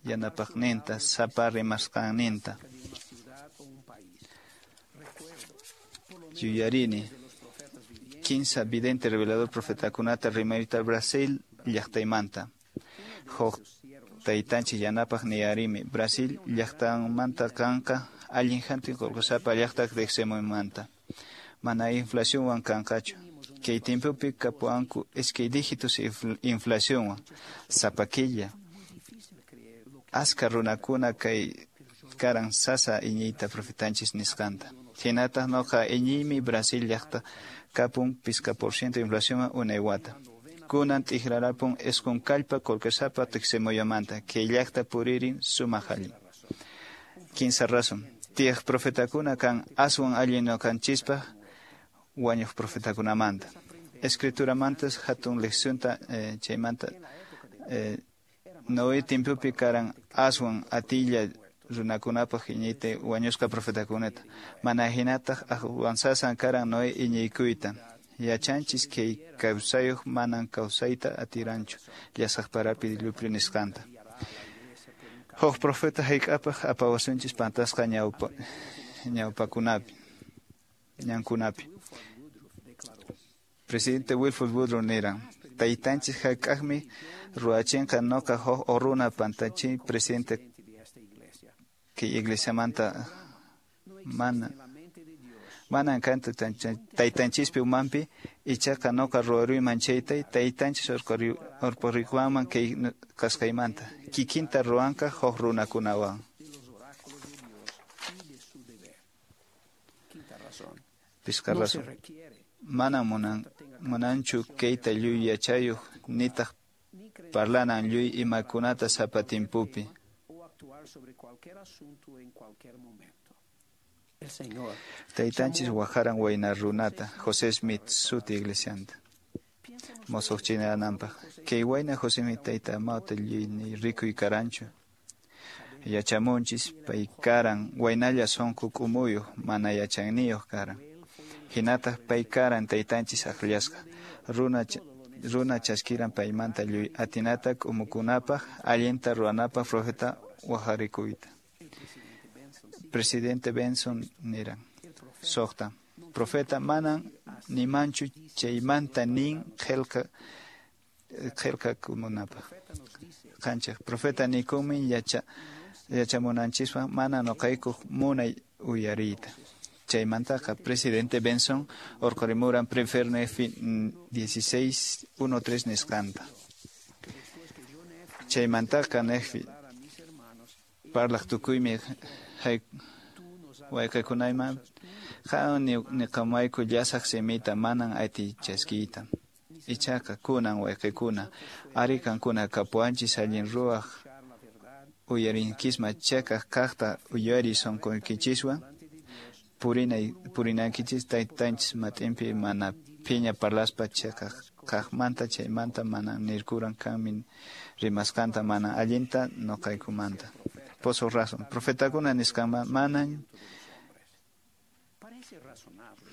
yanapaqninta sapa rimasqanninta. Yuyarini 15 vidente revelador profetakunata rimarita Brasil llaqtaymanta. Huq taytanchis yanapaq niyarimi Brasil llaqtanmanta kanqa allin hantin qullqisapa llaqta tiqsimuymanta. Mana inflacionwan kanqachu. Kay timpupi kapuwanku iskay dígitos inflacionwan sapa killa. Aska runakuna kay karan sasa iñiyta profetanchis nisqanta. Hinataq noqa iñiymi Brasil llaqta kapun 5% inflacionwan unay wata. Kunan t'ikrarapun isqun kallpa qullqisapa tiqsimuyumanta kay llaqta puririn sumaq allin. 15 razón. Tiyaq profetakuna kan aswan allin noqanchispaq wañuq profetakunamanta. Escrituramantas hatun leccionta chaymanta Noé timpupi karan aswan atilla runakunapaq iñiyta wañusqa profetakunata. Mana hinataq aqwansasan karan Noé iñiykuyta. Yachanchis kay kawsayuq manan kawsayta atiranchu llasaq parapi diluvio nisqanta. Huk profeta hayk'apaq apawasunchis pantasqa ñawpakunapi, ñankunapi. Presidente Wilford Woodruff niran, taytanchis hayk'aqmi ruwachinqa noqa huk runa pantachi presidente kay iglesiamanta manan kantu taytanchispi umanpi, ichaqa noqa ruwaruyman chayta taytanchis urqurikuwanman kay kasqaymanta kikinta ruwanqa huk runakunawan. Pisqa razón. Mana munanchu kayta lluy yachayuq nitaq parlanan lluy imakunata sapa timpupi. Taytanchis wajaran wayna runata José Smith suti iglesianta mosoq chinananpaq. Kay wayna José Smith tayta amawta lluy ni rikuy karanchu. Yachamunchis pay karan waynalla sunqu k'umuyuq mana yachayniyuq karan. Hinataq pay karan taytanchis akllasqa. Runa chaskiran paymanta lluy atinata k'umukunapaq allinta ruwanapaq profeta wajarikuyta. Presidente Benson niran, suqta, profeta manan nimanchu chaymanta nin qillqakunapaq. Qanchaq, profeta nikunmi yachamunanchiswan mana noqaykuq munay uyariyta. Chaymantaqa presidente Benson urqurimuran Primer Nefi 16:1-3 nisqanta. Chaymantaqa Nefi parlaq tukuymi wayqakunayman qan niqamayku llasaq simita manan atiy chaskiyta. Ichaqa kunan wayqakuna ari kankuna kapuwanchis allin ruwaq uyarinkisma chakaq kaqta uyariy sunquykichiswan purinaykichis taytanchis mat'inpi mana phiña parlaspa chakaq kaqmanta chaymanta mana nirkuran kanmi rimasqanta mana allinta noqaykumanta. Pozo razón. Profetakuna nisqanman manan. Parece razonable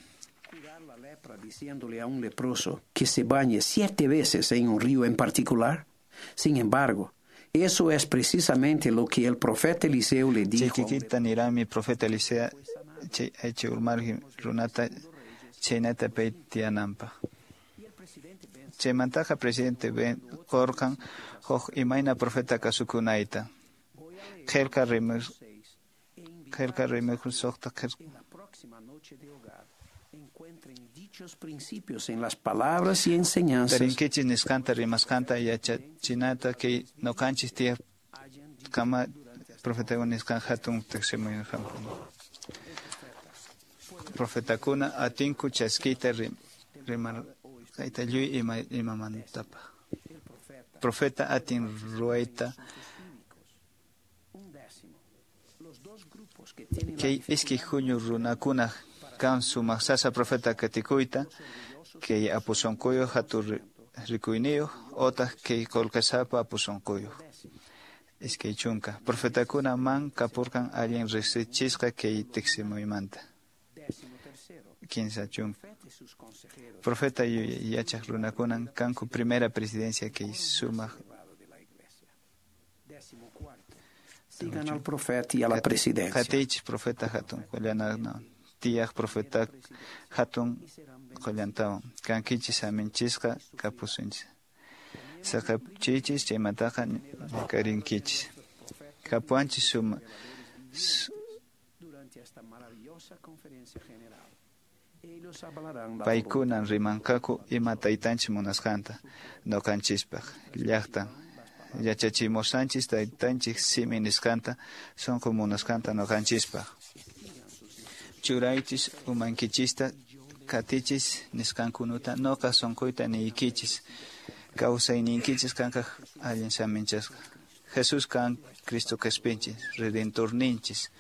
curar la lepra diciéndole a un leproso que se bañe 7 veces en un río en particular. Sin embargo, eso es precisamente lo que el profeta Eliseo le dijo. Chiquita nirami profeta Eliseo chay urmarji runata chaynata pay tiyananpaq. Chaymantaqa presidente Ben qorqan huk imayna profeta kasukunayta. Qillqa rimayku suqta principios en las palabras y enseñanzas. Tarinkichis nisqanta rimasqanta yachachinata kay noqanchis tiyaq kama profetakuna nisqan hatun tiqsimuyun. Profetakuna atinku chaskiyta rimarqayta lluy imamantapaq. Profeta atin ruwayta kay iskay huñu runakuna kan sumaq sasa profeta katikuyta kay apusunquyuq hatun rikuyniyuq otaq kay qullqisapa apusunquyuq. Iskay chunka profetakuna man kapurqan allin riqsichisqa kay tiqsimuymanta. 15 chunka profeta yachaq runakunan kanku primera presidencia kay sumaq. Sigan al profeta y a la presidencia. Qatiychis profeta hatun qullana tiyaq profeta hatun qullantawan kankichis aminchisqa kapusunchis. Saqapchiychis chaymantaqa ñakarinkichis. Kapuwanchis suma paykunan rimanqaku ima taytanchis munasqanta noqanchispaq llaqtan yachachimusanchis taytanchik simi nisqanta sunqu munasqanta noqanchispaq. Churaychis umankichista qatichis nisqankunata noqa sunquyta niykichis kawsayninkichis kanqa allin saminchasqa. Jesús kan Cristo qhispinchis Redentorninchis.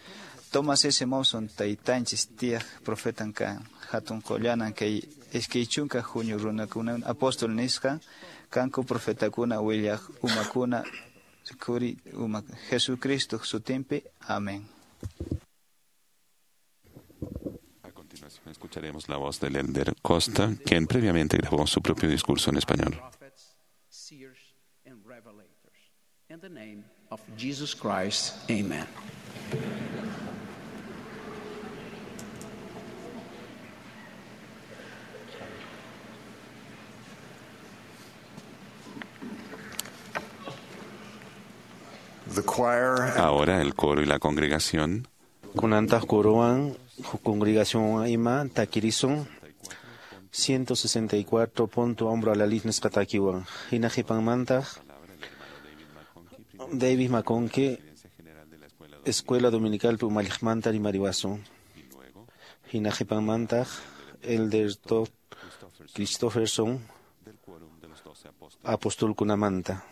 Thomas S. Monson taytanchis tiyaq profetan kan hatun qullanan kay iskay chunka huñu runakuna apóstol nisqa kanku profetakuna willaq umakuna Kuri uma Jesucristo sutinpi. Amén. A continuación escucharemos la voz del Elder Costa, quien previamente grabó su propio discurso en español. In the name of Jesus Christ, amen. Ahora el coro y la congregación. Kunantaq corowan congregación ima takirisun 164 punto hombro a la luz nisqa takiwan hina qhipanmantaq David McConkie Escuela Dominical umalliqmanta rimariwasun hina qhipanmantaq Elder Todd Christopherson apostolkunamanta.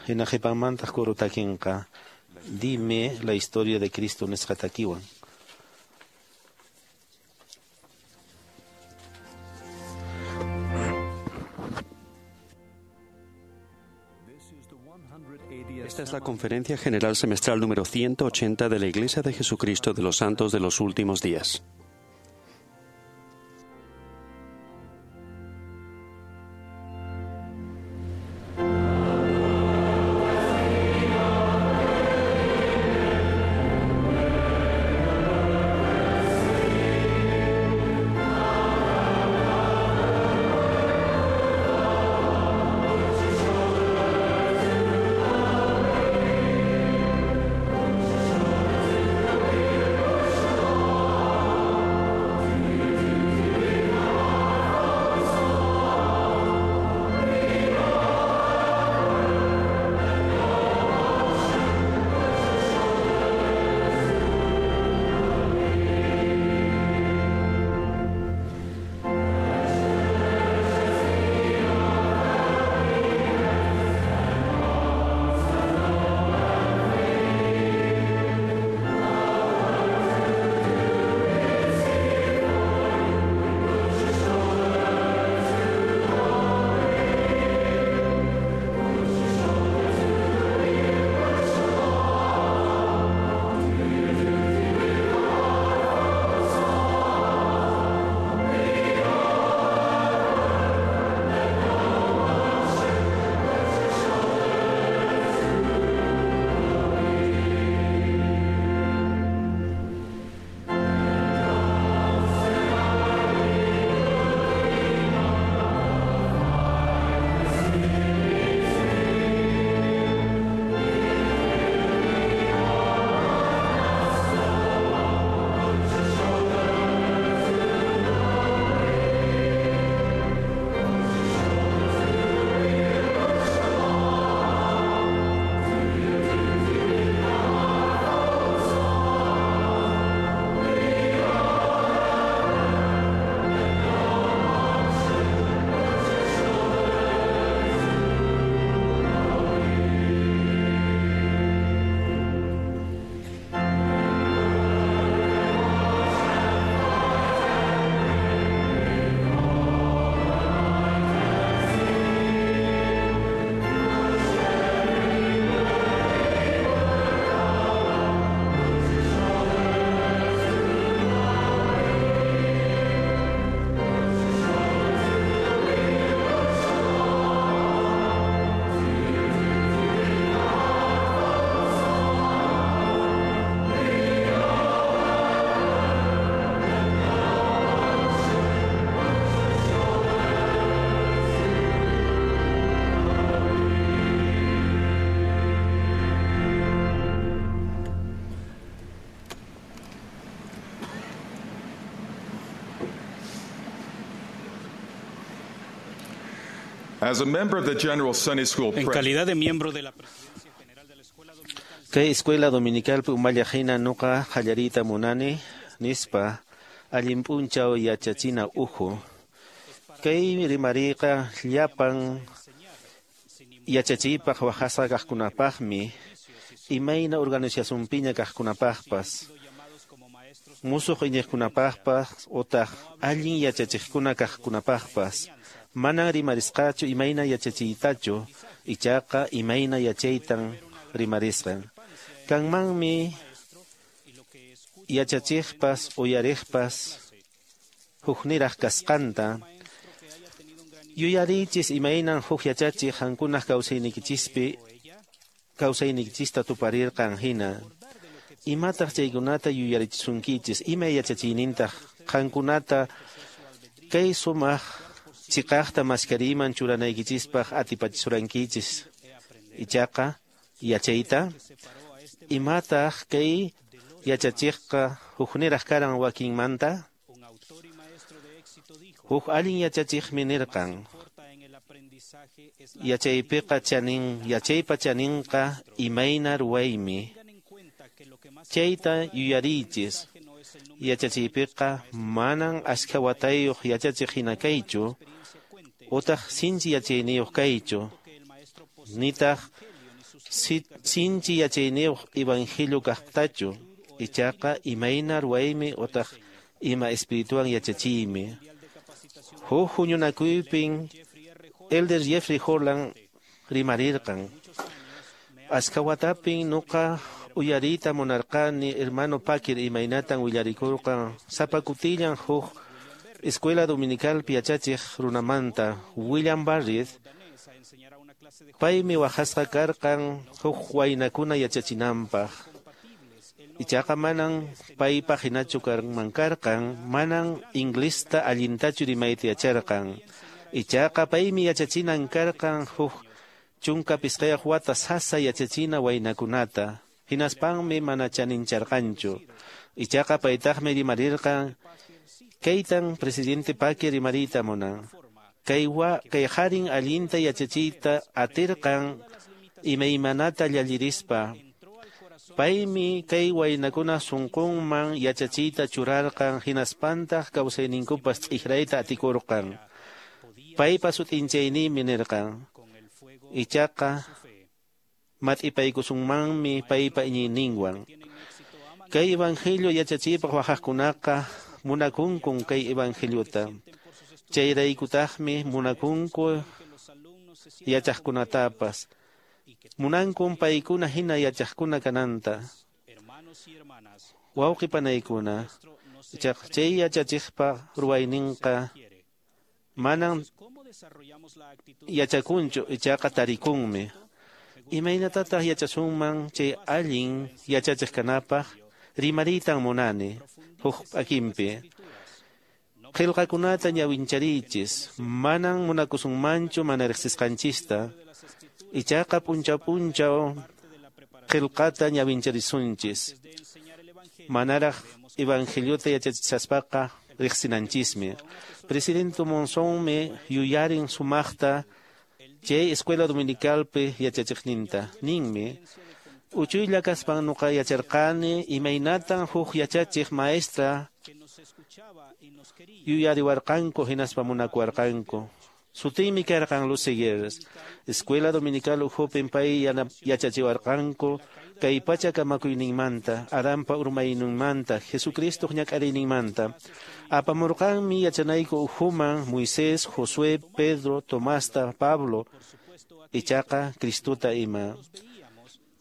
Hina qhipanmantaq coro takinqa Dime la historia de Cristo nisqa takiwan. Esta es la Conferencia General Semestral número 180 de la Iglesia de Jesucristo de los Santos de los Últimos Días. As a member of the General Sunday School En calidad de miembro de la Presidencia General de la Escuela Dominical. Kay Escuela Dominical umallaqhina nuqa qallariyta munani nispa allin p'unchaw yachachina uhu. Kay rimariyqa llapan yachachiypaq waqasqa kaqkunapaqmi imayna organizacionpiña kaqkunapaqpas musuq iñiqkunapaqpas utaq allin yachachiqkuna kaqkunapaqpas manan rimarisqachu imayna yachachiytachu Ichaqa imayna yachaytan rimarisqan. Kanmanmi yachachiqpas uyariqpas hukniraq kasqanta. Yuyarichis imaynan huk yachachiq qankunaq kawsayniykichispi kawsaynikichista tuparirqan hina. Imataq chaykunata yuyarichisunkichis, ima yachachiynintaq qankunata kay sumaq chiqaqta maskariyman churanaykichispaq atipachisurankichis. Ichaqa yachayta imataq kay yachachiqqa hukniraq karan wakinmanta. Huk allin yachachiqmi nirqan yachaypiqa chanin yachaypa chaninqa imayna ruwaymi. Chayta yuyariychis yachachiypiqa manan ashka watayuq yachachiq hina kaychu utaq sinchi yachayniyuq kaychu nitaq sinchi yachayniyuq evangelio kaqtachu ichaqa imayna ruwaymi utaq ima espirituan yachachiymi. Huk huñunakuypin Elder Jeffrey Holland rimarirqan. Ashka watapin nuqa uyariyta munarqani hermano Packer imaynatan willarikurqan sapa kutillan huk escuela dominicalpi yachachiq runamanta William Barrett. Paymi waqasqa karqan huk waynakuna yachachinanpaq. Ichaqa manan paypaq hinachu kanman karqan, manan inglista allintachu rimayta yacharqan. Ichaqa paymi yachachinan karqan huk 15 wata sasa yachachina waynakunata. Hinaspanmi mana chanincharqanchu. Ichaqa paytaqmi rimarirqan kaytan presidente Packer rimariyta munan. Kay harin allinta yachachiyta atirqan imaymanata llallirispa. Paymi kay waynakuna sunqunman yachachiyta churarqan hinaspantaq kawsayninkupas t'ikrayta atikurqan. Paypa sut'inchayniymi nirqan. Ichaqa mat'ipaykusunmanmi paypa iñiyninwan. Kay evangelio yachachiypaq waqaqkunaqa munakunkun kay evangeliota. Chayraykutaqmi munakunku yachaqkunatapas. Munankun paykuna hina yachaqkuna kananta. Wawqi panaykuna, chay yachachiqpa ruwayninqa manan yachakunchu ichaqa tarikunmi. Imaynatataq yachasunman chay allin yachachiq kanapaq rimariytan munani huk p'akinpi. Qillqakunata ñawinchariychis, manan munakusunmanchu mana riqsisqanchista. Ichaqa p'unchaw p'unchaw qillqata ñawincharisunchis. Manaraq evangeliota yachachisaspaqa riqsinanchismi. Presidente Monsonmi yuyarin sumaqta chay escuela dominicalpi yachachiqninta. Ninmi, uchuylla kaspan nuqa yacharqani imaynatan huk yachachiq maestra yuyariwarqanku hinaspa munakuwarqanku. Sutiymi karqan Lucy Gers. Escuela dominical ukhupin pay yachachiwarqanku kay pacha kamakuyninmanta, Adanpa urmayninmanta, Jesucristoq ñak'ariyninmanta. Apamurqanmi yachanayku ukhuman Moisés, Josué, Pedro, Tomasta, Pablo, ichaqa Cristota ima.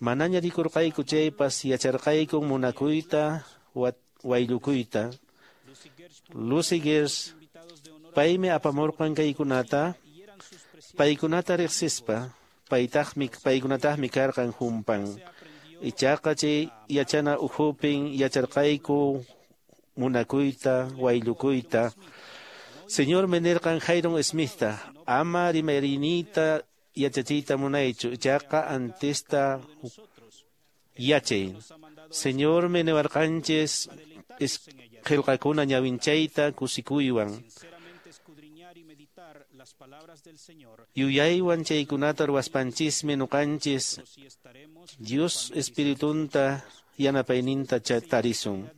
Manaña rikurqayku chaypas yacharqayku munakuyta, wayllukuyta. Lucy Gers paymi apamurqan kaykunata, paykunata riqsispa, paykunataqmi karqan humpan. Ichaqa chay yachana ukhupin yacharqayku munakuyta, wayllukuyta. Señor nirqan Jairon Smithta, ama rimarinita yachachiyta munaychu, ichaqa antesta yachay. Señor niwarqanchis qillqakuna ñawinchayta kusikuywan. Yuyaywan chaykunata ruwaspanchismi nuqanchis Dios espiritunta yanapayninta tarisun.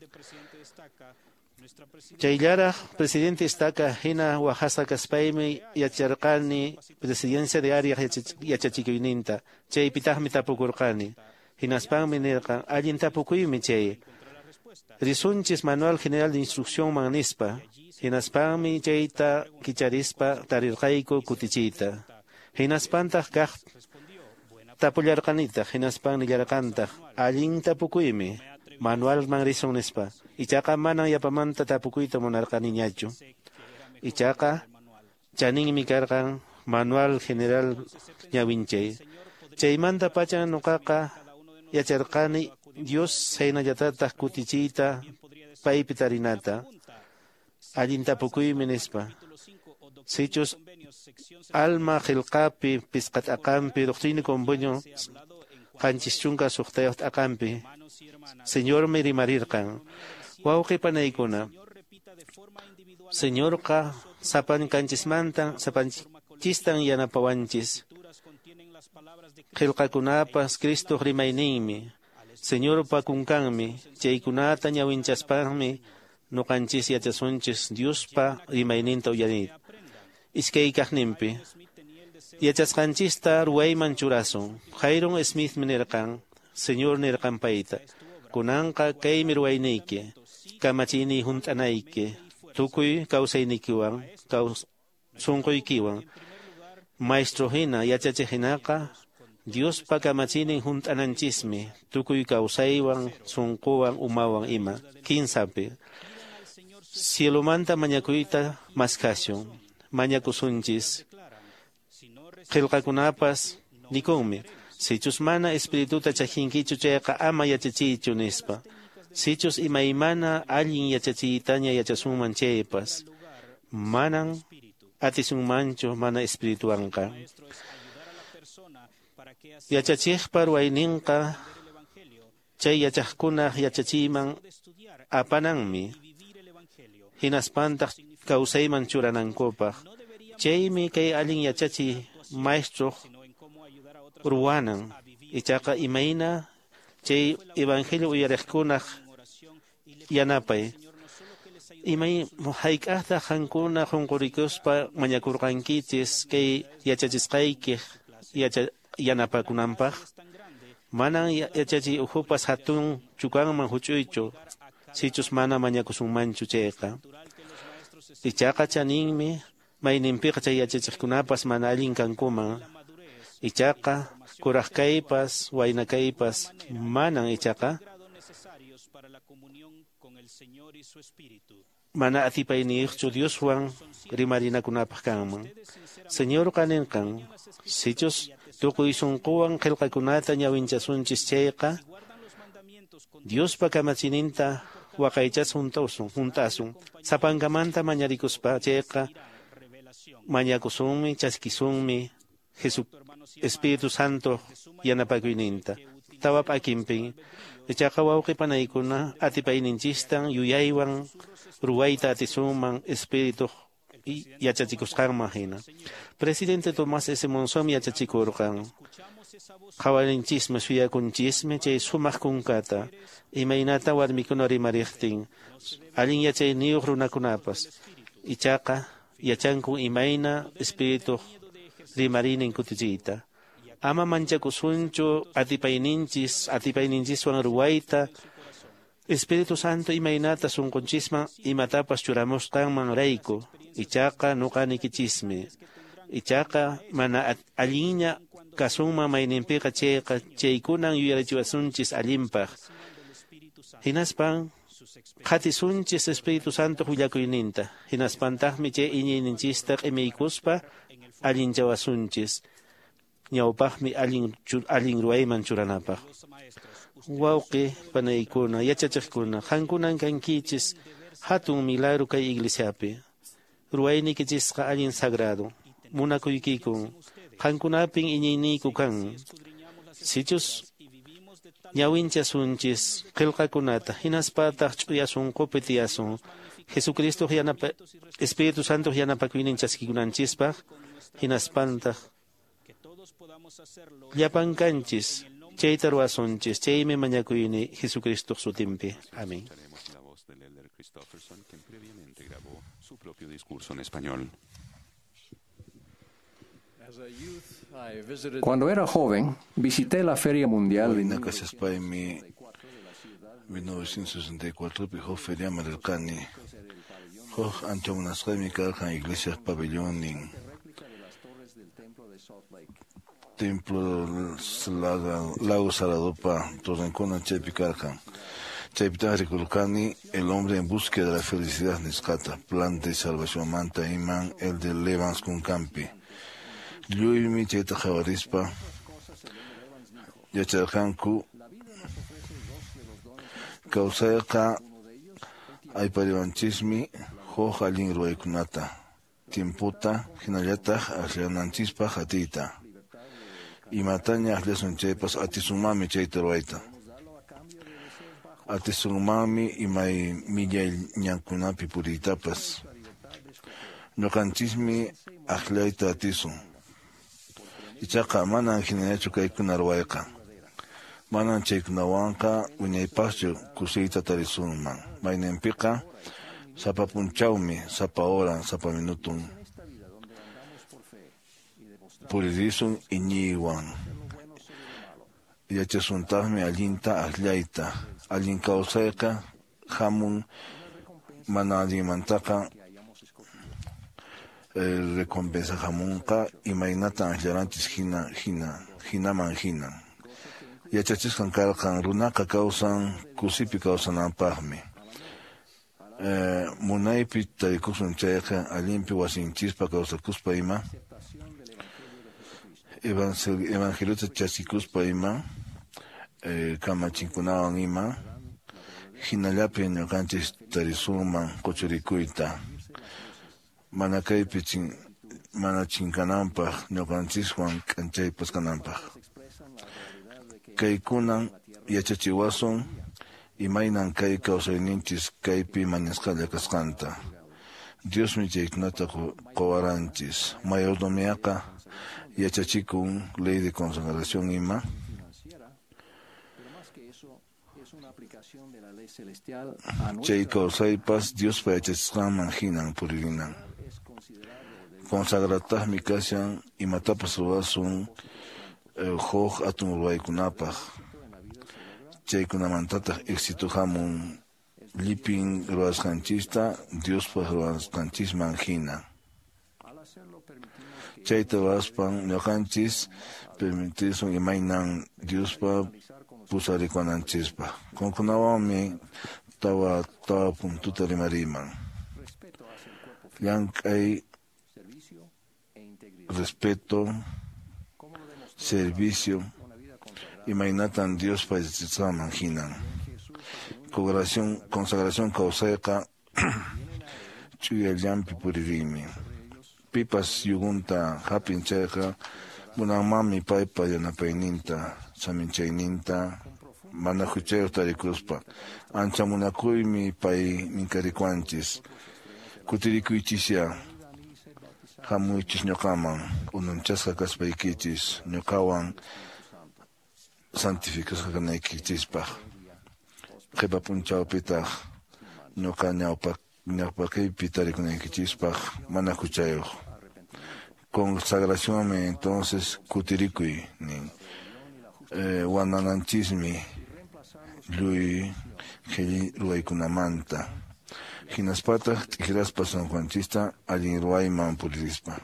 Chayllaraq presidente estaca hina waqasqa kaspaymi yacharqani presidencia de área yachachikuyninta. Chaypitaqmi tapukurqani. Hinaspanmi nirqan allin tapukuymi chay. Risunchis Manual General de Instrucción man nispa. Hinaspanmi chayta kicharispa tarirqayku kutichiyta. Hinaspantaq kaq Tapullarqanitaq hinaspan nillarqantaq allin tapukuymi manualman risun nispa. Ichaqa manan yapamanta tapukuyta munarqaniñachu. Ichaqa chaninmi karqan manual general ñawinchay. Chaymanta pacha nuqaqa yacharqani Dios saynallatataq kutichiyta paypi tarinata. Allin tapukuymi nispa. Sichus alma qillqapi pisqat'aqanpi doctrina y convenio 76 t'aqanpi Señormi rimarirqan. Wawqi panaykuna, Señorqa sapankanchismantan sapanchistan yanapawanchis. Qillqakunapas Cristoq rimayninmi, Señorpa kunkanmi, chaykunata ñawinchaspanmi nuqanchis yachasunchis Diospa rimayninta uyarinta. Iskay kaqninpi yachasqanchista ruwayman churasun. Hyrum Smith nirqan, Señor nirqan payta, kunanqa kaymi ruwayniyki, kamachiyniy hunt'anayki, tukuy kawsaynikiwan, sunquykiwan. Maestro hina yachachiq hinaqa Diospa kamachiynin hunt'ananchismi, tukuy kawsaywan, sunquwan, umawan ima. Kinsapi cielomanta mañakuyta maskashun, mañakusunchis. Qillqakunapas nikunmi, sichus mana espirituta chajinkichu chayqa ama yachachiychu nispa. Sichus imaymana allin yachachiytaña yachasunman chaypas, manan atisunmanchu mana espirituwanqa. Yachachiqpa ruwayninqa chay yachaqkunaq yachachiyman apananmi, hinaspantaq kawsayman churanankupaq. Chaymi kay allin yachachiy maestroq ruwanan. Ichaqa imayna chay evangelio uyariqkunaq yanapay. Imay hayk'aqtaq qankuna qunqurikuspa mañakurqankichis kay yachachisqaykiq yanapakunanpaq? Manan yachachiy ukhupas hatun chukanman huch'uychu, sichus mana mañakusunmanchu chayqa. Ichaqa chaninmi mayninpiqa chay yachachiqkunapas mana allin kankuman. Ichaqa kuraq kaypas, wayna kaypas manan ichaqa mana atipayniyuqchu Dioswan rimarinakunapaq kanman. Señorqa ninqan, sichus tukuy sunquwan qillqakunata ñawinchasunchis chayqa, Diospa kamachininta waqaychasun hunt'asun. Sapankamanta mañarikuspa chayqa mañakusunmi, chaskisunmi Jesu Espíritu Santo yanapakuyninta. Tawa p'akinpin ichaqa wawqi panaykuna atipayninchistan yuyaywan ruwayta atisunman Espírituq yachachikusqanman hina. Presidente Tomás S. Monzón yachachikurqan. Qhawarinchismi, suyakunchismi chay sumaq kunkata, imaynata warmikuna rimariqtin, allin yachayniyuq runakunapas. Ichaqa yachanku imayna Espírituq rimarinin kutichiyta. Ama manchakusunchu atipayninchiswan ruwayta, Espíritu Santo imaynata sunqunchisman imatapas churamusqanman rayku. Ichaqa nuqanikichismi. Ichaqa mana allinña kasunman mayninpiqa chayqa chaykunan yuyarichiwasunchis allinpaq. Hinaspan qhatisunchis Espíritu Santo willakuyninta. Hinaspantaqmi chay iñiyninchista q'imiykuspa allinchawasunchis. Ñawpaqmi allin ruwayman churanapaq. Wawqi panaykuna, yachachiqkuna, qankunan kankichis hatun milagro kay iglesiapi. Ruwaynikichisqa allin sagrado. Munakuykikun. Qankunapin iñiyniyku kan. Sichus ñawinchasunchis qillqakunata, hinaspataq ch'uya sunqupi tiyasun. Jesucristo Espíritu Santo yanapakuynin chaskikunanchispaq, hinaspantaq llapan kanchis chayta ruwasunchis. Chaymi mañakuyni Jesucristo sutinpi. Amén. Escucharemos la voz del elder Christofferson, quien previamente grabó su propio discurso en español. Cuando era joven, visité la Feria Mundial. Wayna kashaspaymi 1964 pi huk feriaman rirqani. Huk ancha munasqaymi karqan iglesiaq pabellonnin. Templo Lago Saladopa torrenkuna chaypi karqan. Chaypitaq rikurqani El hombre en búsqueda de la felicidad nisqata, plan de salvación manta iman el de Levans kunkanpi. Lluymi chayta qhawarispa yacharqanku kawsayqa aypariwanchismi huk allin ruwaykunata, tiemputa hinallataq akllananchispaq atiyta. Imataña akllasun chaypas atisunmanmi chayta ruwayta. Atisunmanmi imay millay ñankunapi puriytapas. Ñuqanchismi akllayta atisun. Ichaqa manan hinallachu kaykuna ruwayqa. Manan chaykunawanqa wiñaypaqchu kusiyta tarisunman. Mayninpiqa sapa punchawmi, sapa horan, sapa minutun puririsun iñiywan. Yachasuntaqmi allinta akllayta. Allin kawsayqa hamun mana allinmantaqa recompensa hamunqa imaynatan akllaranchis hina hinaman hina. Yachachisqan karqan runaqa kawsan kusipi kawsananpaqmi. Munaypi tarikusun chayqa allinpi wasinchispa kawsakuspa ima evangeliota chaskikuspa ima kamachinkunawan ima hinallapi ñuqanchis tarisunman quchurikuyta mana kaypi mana chinkananpaq ñuqanchiswan k'anchaypas kananpaq. Kaykunan yachachiwasun imaynan kay kawsayninchis kaypi mañasqalla kasqanta. Diosmi chaykunata quwaranchis. Mayordomiaqa yachachikun ley de consagración ima. Chay kawsaypas Diospa yachachisqanman hinan puririnan. Consagrataqmi kashan imatapas ruwasun huk hatun ruwaykunapaq. Chaykunamantataq éxito hamun llipin ruwasqanchista Diospaq ruwasqanchisman hina. Chayta ruwaspan ñuqanchis permitisun imaynan Diospa pusarikuwananchispaq. Qankunawanmi tawa puntuta rimariman. Llank'ay, respeto, servicio, imaynatan Diospa yachachisqanman hinan. Consagración kawsayqa ch'uyallanpi puririymi. Pipas yugunta hapin chayqa munanmanmi paypa yanapayninta, saminchayninta, mana huchayuq tarikuspa. Ancha munakuymi pay minkarikuwanchis. Kutirikuychisya, hamuychis ñuqaman, unanchasqa kaspaykichis, ñuqawan santificasqa kanaykichispaq. Qhipa p'unchawpitaq ñuqa ñawpaqiypi tarikunaykichispaq mana huchayuq. Consagracionmi entonces kutirikuy nin. Wanananchismi lluy qhilli ruwaykunamanta. Hinaspataq t'ikraspa sunqunchista allin ruwayman puririspa.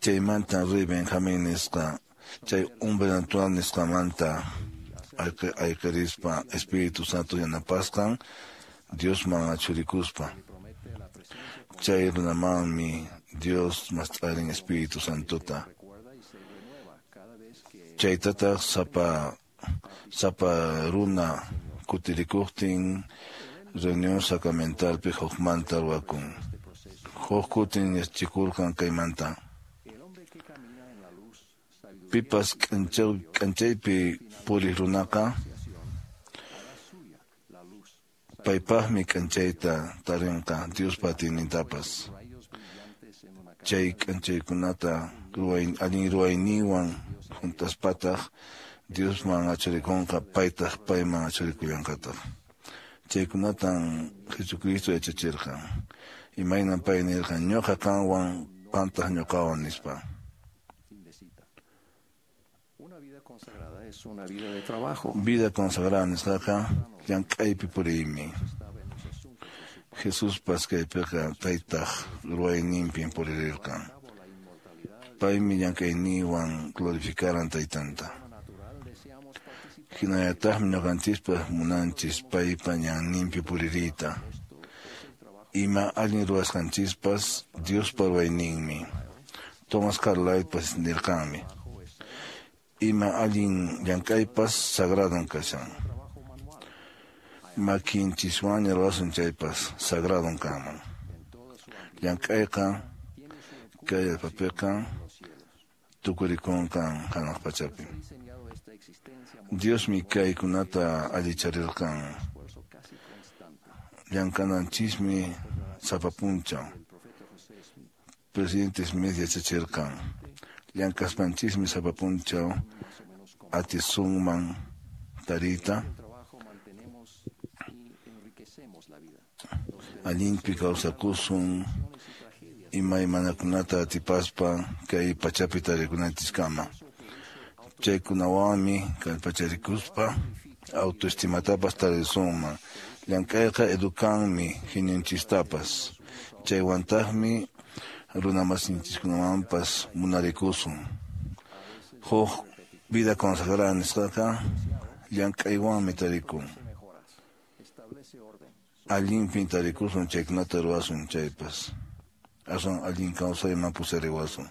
Chaymanta rey Benjamín nisqa chay hombre natural nisqamanta ayqirispa Espíritu Santo yanapasqan Diosman achurikuspa. Chay runamanmi Dios mast'arin Espíritu Santota. Chaytataq sapa runa kutirikuqtin reunión sacramentalpi hukmanta ruwakun. Huk kutin yachachikurqan kaymanta. Pipas k'anchaypi puriq runaqa paypaqmi k'anchayta tarinqa Diospa atiynintapas. Chay k'anchaykunata allin ruwayninwan juntaspataq Diosman achurikunqa paytaq payman achurikullanqataq. Chaykunatan Jesucristo yachachirqan. Imaynan pay nirqan ñuqa qanwan qantaq ñuqawan nispa. Vida consagrada nisqaqa llank'aypi puriymi. Jesuspas kaypiqa taytaq ruwayninpin puririrqan. Paymi llank'ayninwan glorificaran taytanta. Hinallataqmi ñuqanchispas munanchis paypa ñanninpi puririyta. Ima allin ruwasqanchispas Diospa ruwayninmi. Thomas Carlylepas nirqanmi. Ima allin llank'aypas sagradon kashan. Makinchiswanña ruwasun chaypas sagradon kanman. Llank'ayqa kay allpapiqa tukurikunqan hanaq pachapi. Diosmi kaykunata allicharirqan. Llank'ananchismi sapa p'unchaw. Presidente Smith yachachirqan. Llank'aspanchismi sapa p'unchaw atisunman tariyta allinpi kawsakusun imaymanakunata atipaspa kay pachapi tarikunanchiskama. Chaykunawanmi kallpacharikuspa autoestimatapas tarisunman. Llank'ayqa educanmi hininchistapas. Chaywantaqmi runamasinchiskunawanpas munarikusun. Huk vida consagrada nisqaqa llank'aywanmi tarikun. Allinpin tarikusun chaykunata ruwasun chaypas. Aswan allin kawsayman pusariwasun.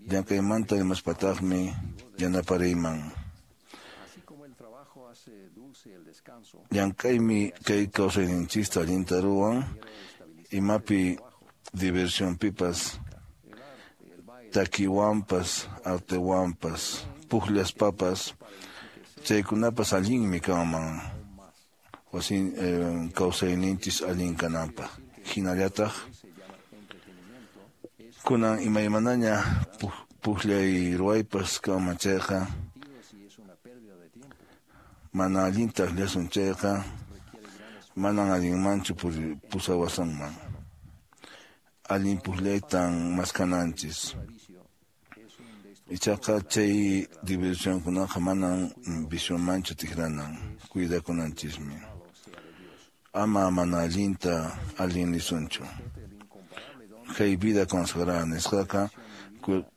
Llank'aymanta rimaspataqmi yanapariyman. Llank'aymi kay kawsayninchista allinta ruwan, imapi diversionpipas, takiwanpas, artewanpas, pukllaspapas, chaykunapas allinmi kanman wasin kawsayninchis allin kananpaq. Hinallataq kunan imaymanaña pukllay ruwaypas kanman chayqa, mana allinta akllasun chayqa, manan allinmanchu pusawasunman. Allin pukllaytan maskananchis. Ichaqa chay diversionkunaqa manan visiomanchu tikranan, cuidakunanchismi. Ama mana allinta allin nisunchu. Kay vida consagrada nisqaqa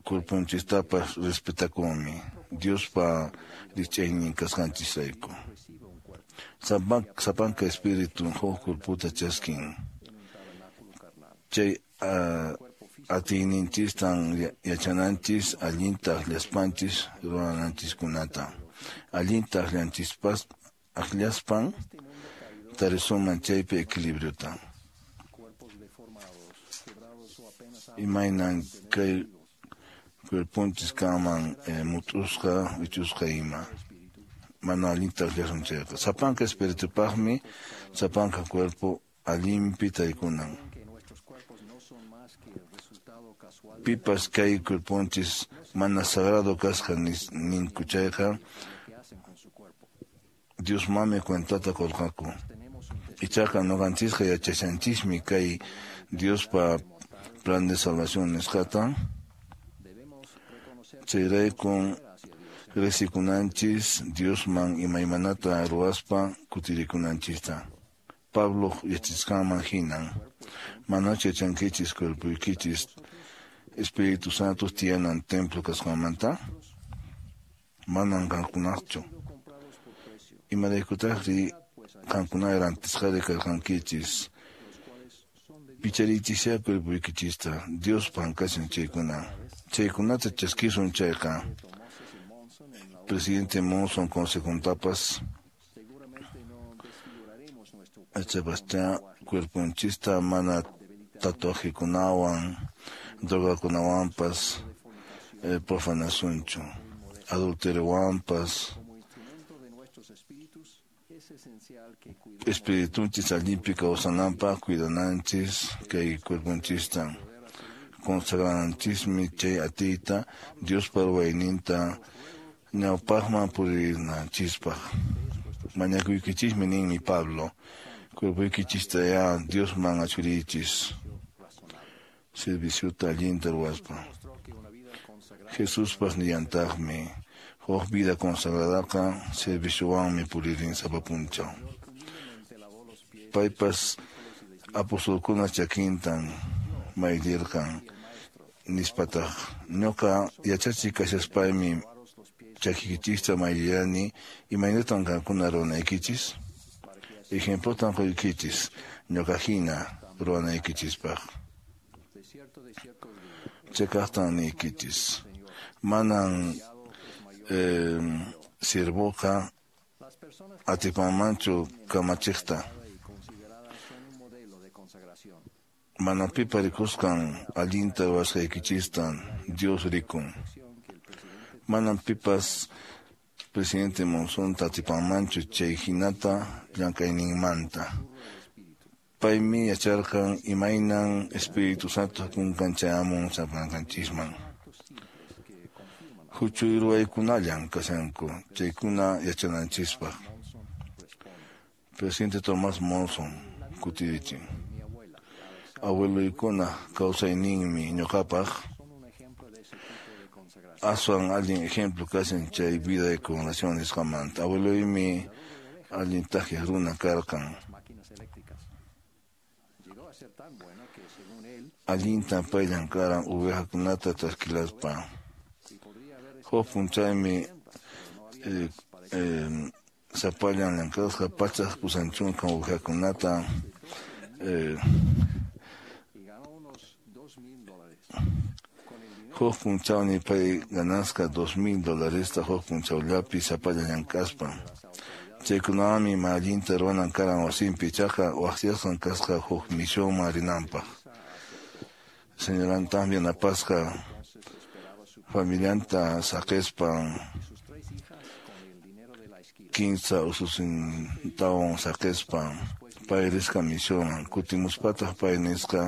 cuerponchistapas respetakunmi Diospa rikch'aynin kasqanchisrayku. Sapanka espíritu huk cuerpota chaskin. Chay atiyninchistan yachananchis allinta akllaspanchis ruwananchiskunata. Allinta akllanchispas akllaspan tarisunman chaypi equilibriota. Imaynan kay cuerponchis kanman mut'usqa, wichusqa ima. Mana allinta akllasun chayqa. Sapanka espiritupaqmi sapanka cuerpo allinpi tarikunan. Pipas kay cuerponchis mana sagrado kasqa ninku chayqa, Diosmanmi cuentata qurqaku. Ichaqa ñuqanchisqa yachashanchismi kay Diospa plan de salvación nisqata. Chayraykun risikunanchis Diosman imaymanata ruwaspa kutirikunanchista. Pablo yachasqanman hinan manachu yachankichis cuerpoykichis Espíritu Santo tiyanan templo kasqanmanta? Manan qankunaqchu. Imaraykutaqri qankuna rantisqari karqankichis? Pichariychisya cuerpoykichista Diospan kashan chaykuna. Chaykunata chaskisun chayqa Presidente Monson consejontapas achapaschá cuerponchista mana tatuajekunawan drogakunawanpas profanasunchu, adulteriowanpas, espiritunchis allinpi kawsananpaq cuidananchis kay cuerponchista. Consagrananchismi chay atiyta Diospa ruwayninta ñawpaqman purinanchispaq. Mañakuykichismi ninmi Pablo, cuerpoykichista ya Diosman achuriychis serviciota allinta ruwaspa. Jesuspas nillantaqmi, huk vida consagradaqa serviciowanmi puririn sapa p'unchaw. Paypas apostolkuna chakintan mayllirqan, Nispataq, ñuqa yachachiq kashaspaymi chakiykichista mayllarani, imaynatan qankuna ruwanaykichis? Ejemplotan quykichis ñuqa hina ruwanaykichispaq. Cheqaqtan niykichis, manan siervoqa atipanmanchu kamachiqta. Mana pipa rikusqan allinta ruwasqaykichistan Dios rikun. Manan pipas presidente Monsonta atipanmanchu chay hinata llank'ayninmanta. Paymi yacharqan imaynan Espíritu Santo kunkan chayamun sapankanchisman. Huchuy ruwaykunallan kashanku chaykuna yachananchispaq. Presidente Tomás Monson kutirichin. Abueloykuna kawsayninmi ñuqapaq aswan allin ejemplo kashan chay vida de congregación nisqamanta. Abueloymi allin takiq runa karqan. Allintan pay llamk'aran ovejakunata chaskilaspa. Huk p'unchaymi sapallan llamk'asqa 180 ovejakunata huk p'unchawmi pay ganasqa $2,000 huk p'unchawllapi sapallan llamk'aspa. Chaykunawanmi mana allinta ruwanan karan wasinpi, ichaqa waqyasqan kasqa huk misionman rinanpaq. Señorantaqmi yanapasqa familianta saqispan 15 ususintawan saqispan pay risqa misionman. Kutimuspataq pay nisqa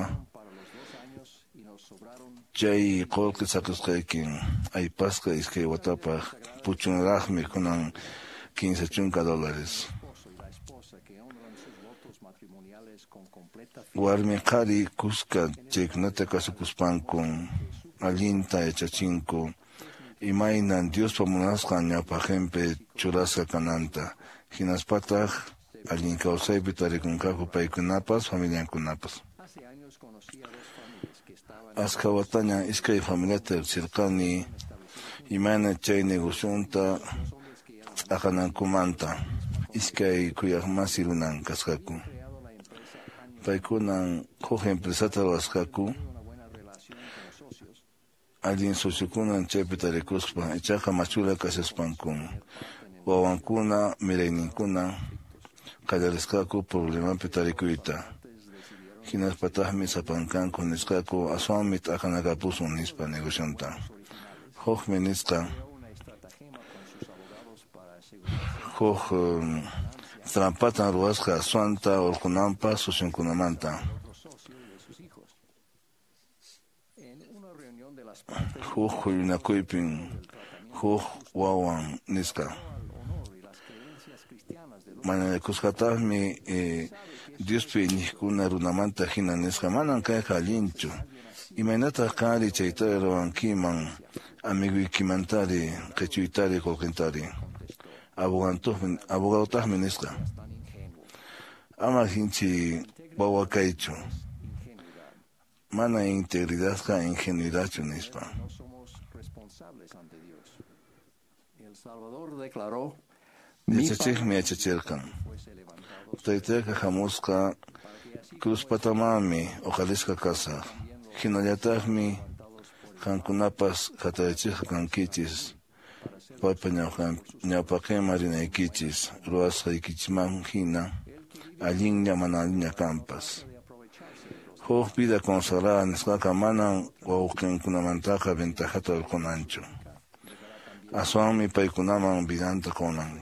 chay qullqi saqisqaykin aypasqa 2 watapaq puchunraqmi kunan $50. Warmi qhari kuska chaykunata kasukuspankun allinta yachachinku imaynan Diospa munasqan ñawpaqinpi churasqa kananta, hinaspataq allin kawsaypi tarikunqaku paykunapas familiankunapas. Askha wataña iskay familiata riqsirqani imayna chay negocionta t'aqanankumanta. Iskay khuyaqmasi runan kasqaku. Paykunan huk empresata ruwasqaku allin sociokunan chaypi tarikuspa, ichaqa machula kashaspankun wawankuna mirayninkuna qallarisqaku problemapi tarikuyta. Hinaspataqmi sapankanku nisqaku aswanmi t'aqanakapusun nispa negocionta. Hukmi nisqa huk trampatan ruwasqa aswanta urqunanpaq socionkunamanta. Huk huñunakuypin huk wawan nisqa. Mañakusqataqmi Diospi iñiqkuna runamanta hina nisqa, manan kayqa allinchu. Imaynataq qanri chaytari ruwankiman amiguykimantari qichuytari qullqintari? Abogadotaqmi nisqa. Ama hinchi wawa kaychu. Mana integridadqa ingenuidadchu nispa. Yachachiqmi yachachirqan. Taytayqa hamusqa cruzpatamanmi uqarisqa kasaq. Hinallataqmi qankunapas hatarichisqa kankichis. Paypa ñawpaqinman rinaykichis ruwasqaykichisman hina allinlla mana allinlla kanpas. Huk vida consagrada nisqaqa manan wawqinkunamantaqa ventajata hurqunanchu. Aswanmi paykunaman vidanta qunan.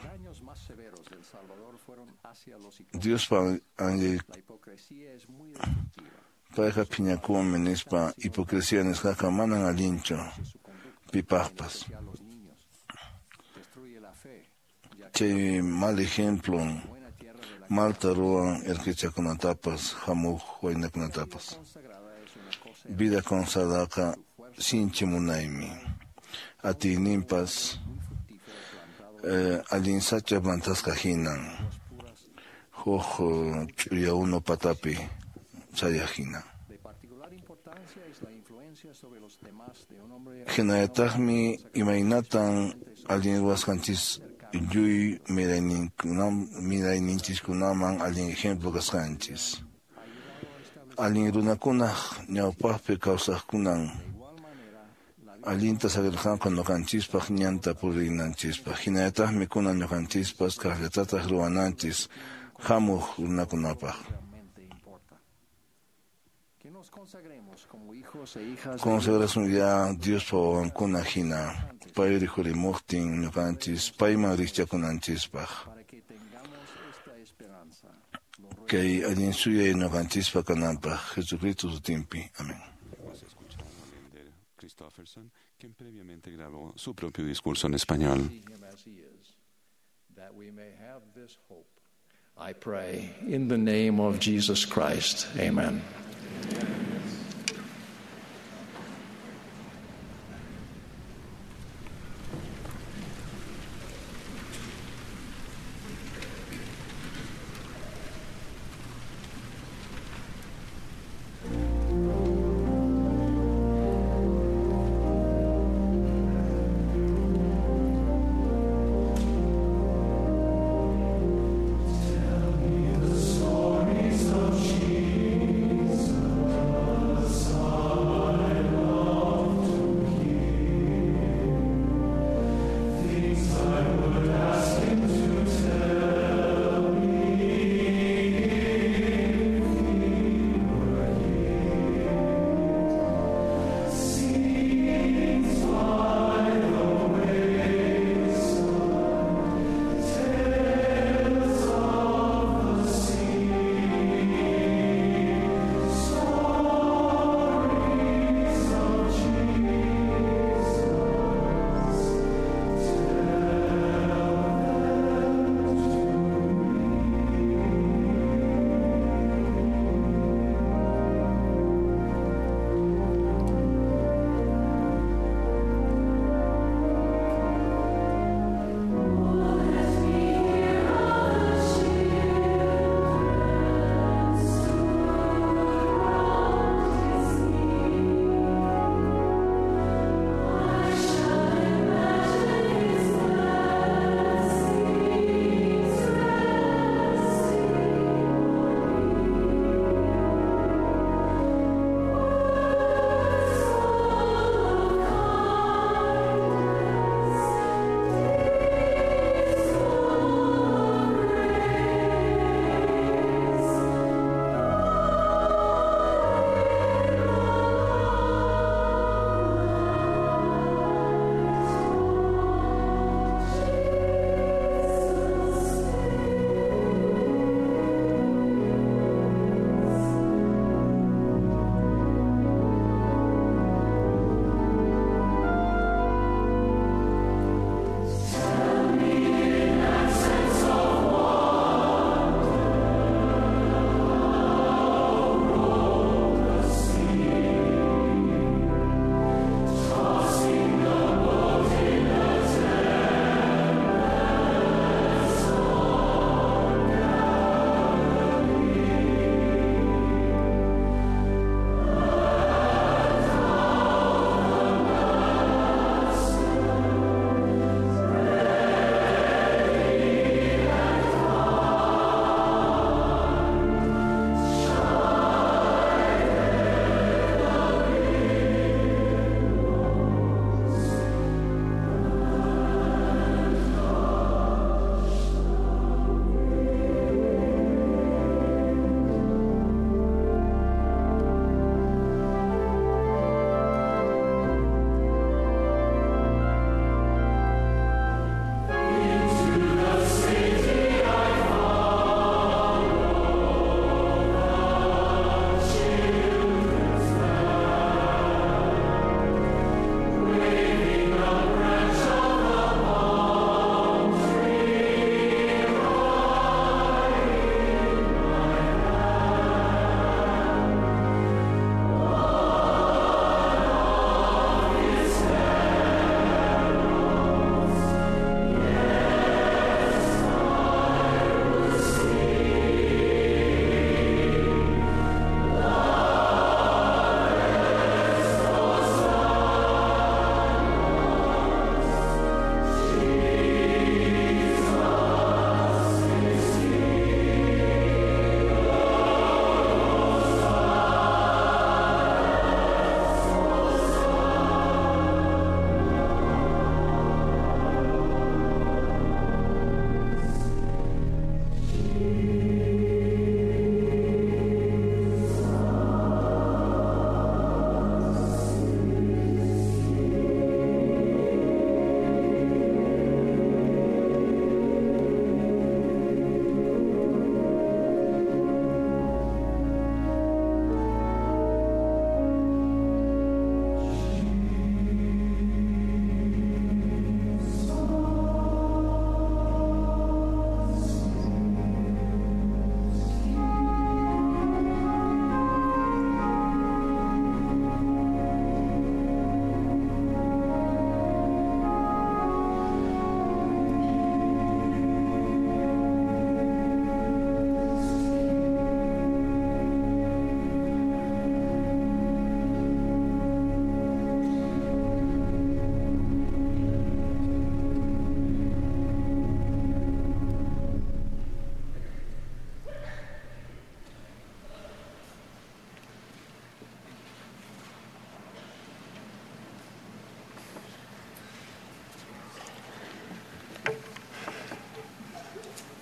Diospa payqa phiñakunmi nispa hipocresía nisqaqa manan allinchu pipaqpas. Chay mal ejemplo malta ruwan erqichakunatapas hamuq waynakunatapas. Vida consagradaqa sinchi munaymi. Atiyninpas allin sacha plantasqa hinan huk ch'uya unu patapi chayaq hina. Hinallataqmi imaynatan allin ruwasqanchis lluy mirayninchiskunaman allin ejemplo kasqanchis. Allin runakunaq ñawpaqpi kawsaqkunan allinta saqirqanku ñuqanchispaq ñanta purinanchispaq. Hinallataqmi kunan ñuqanchispas kaqllatataq ruwananchis hamuq runakunapaq. Consagrasun ya Diospa wawankuna hina pay rikhurimuqtin ñuqanchis payman rikchakunanchispaq. Kay allin suyay ñuqanchispa kananpaq Jesucristo sutinpi. Amén. Hemos escuchado al elder Christofferson, quien previamente grabó su propio discurso en español. That we may have this hope, I pray in the name of Jesus Christ. Amen. Stories of Jesus.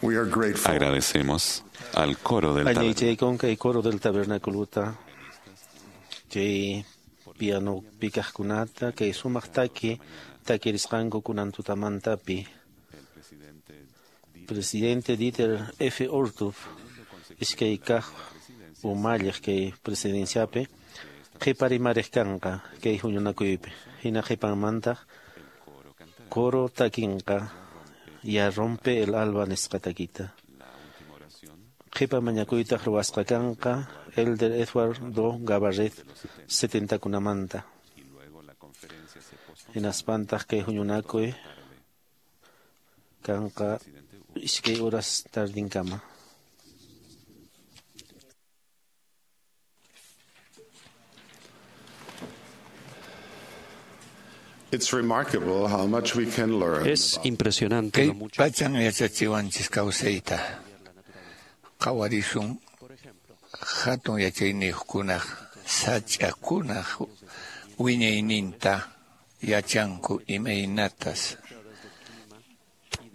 We are grateful. Agradecemos al coro del Añaychaykun kay coro del tabernaculuta chay piano pikaqkunata kay sumaq taki takirisqanku kunan tutamantapi. Presidente Dieter F. Uchtdorf iskay kaq umalliq kay presidenciapi qhiparimariq kanqa kay huñunakuypi. Hina qhipanmantaq coro takinqa ya rompe el alba nisqa takita. Qhipa mañakuytaq ruwasqa kanqa Elder Edward Do Gabarret 70kunamanta. Hinaspantaq kay huñunakuy kanqa iskay horas tardinkama. It's remarkable how much we can learn. Es impresionante Kay lo mucho pachan yachachiwanchis kawsayta. Qhawarisun hatun yachayniyuqkunaq sach'akunaq wiñayninta yachanku imaynatas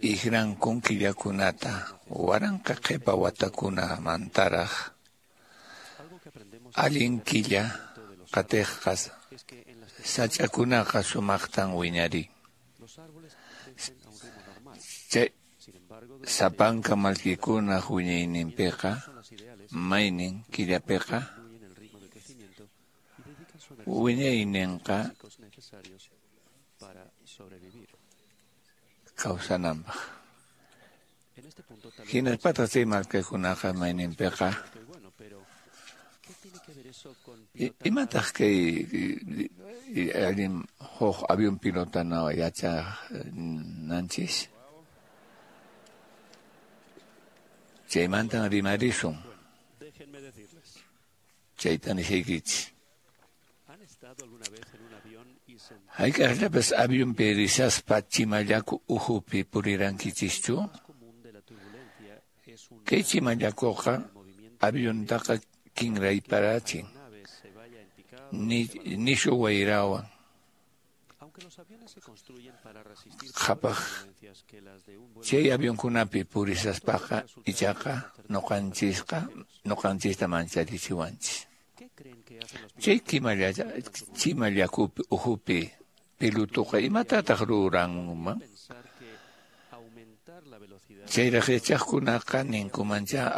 iqrankun killakunata waranqa qhipa watakunamantaraq allin killa qatiqqa sach'akunaqa sumaqtan wiñarin. Chay sapanka mallkikunaq wiñayninpiqa maynin killapiqa wiñayninqa kawsananpaq. Hinaspataq chay mallkikunaqa mayninpiqa imataq kay allin huk avión pilotana yachananchis? Chaymantan rimarisun. Chayta nishaykichis. Hayk'aqllapas avionpi rishaspa chimallaku uhupi purirankichischu? Kay chimallakuqa aviontaqa kinrayparachin nishu wayrawan. Qhapaq chay avionkunapi purishaspaqa ichaqa nuqanchista mancharichiwanchis. Chay chimallakupi uhupi pilutuqa imatataq ruranman? Chayraq yachaqkunaqa ninkumancha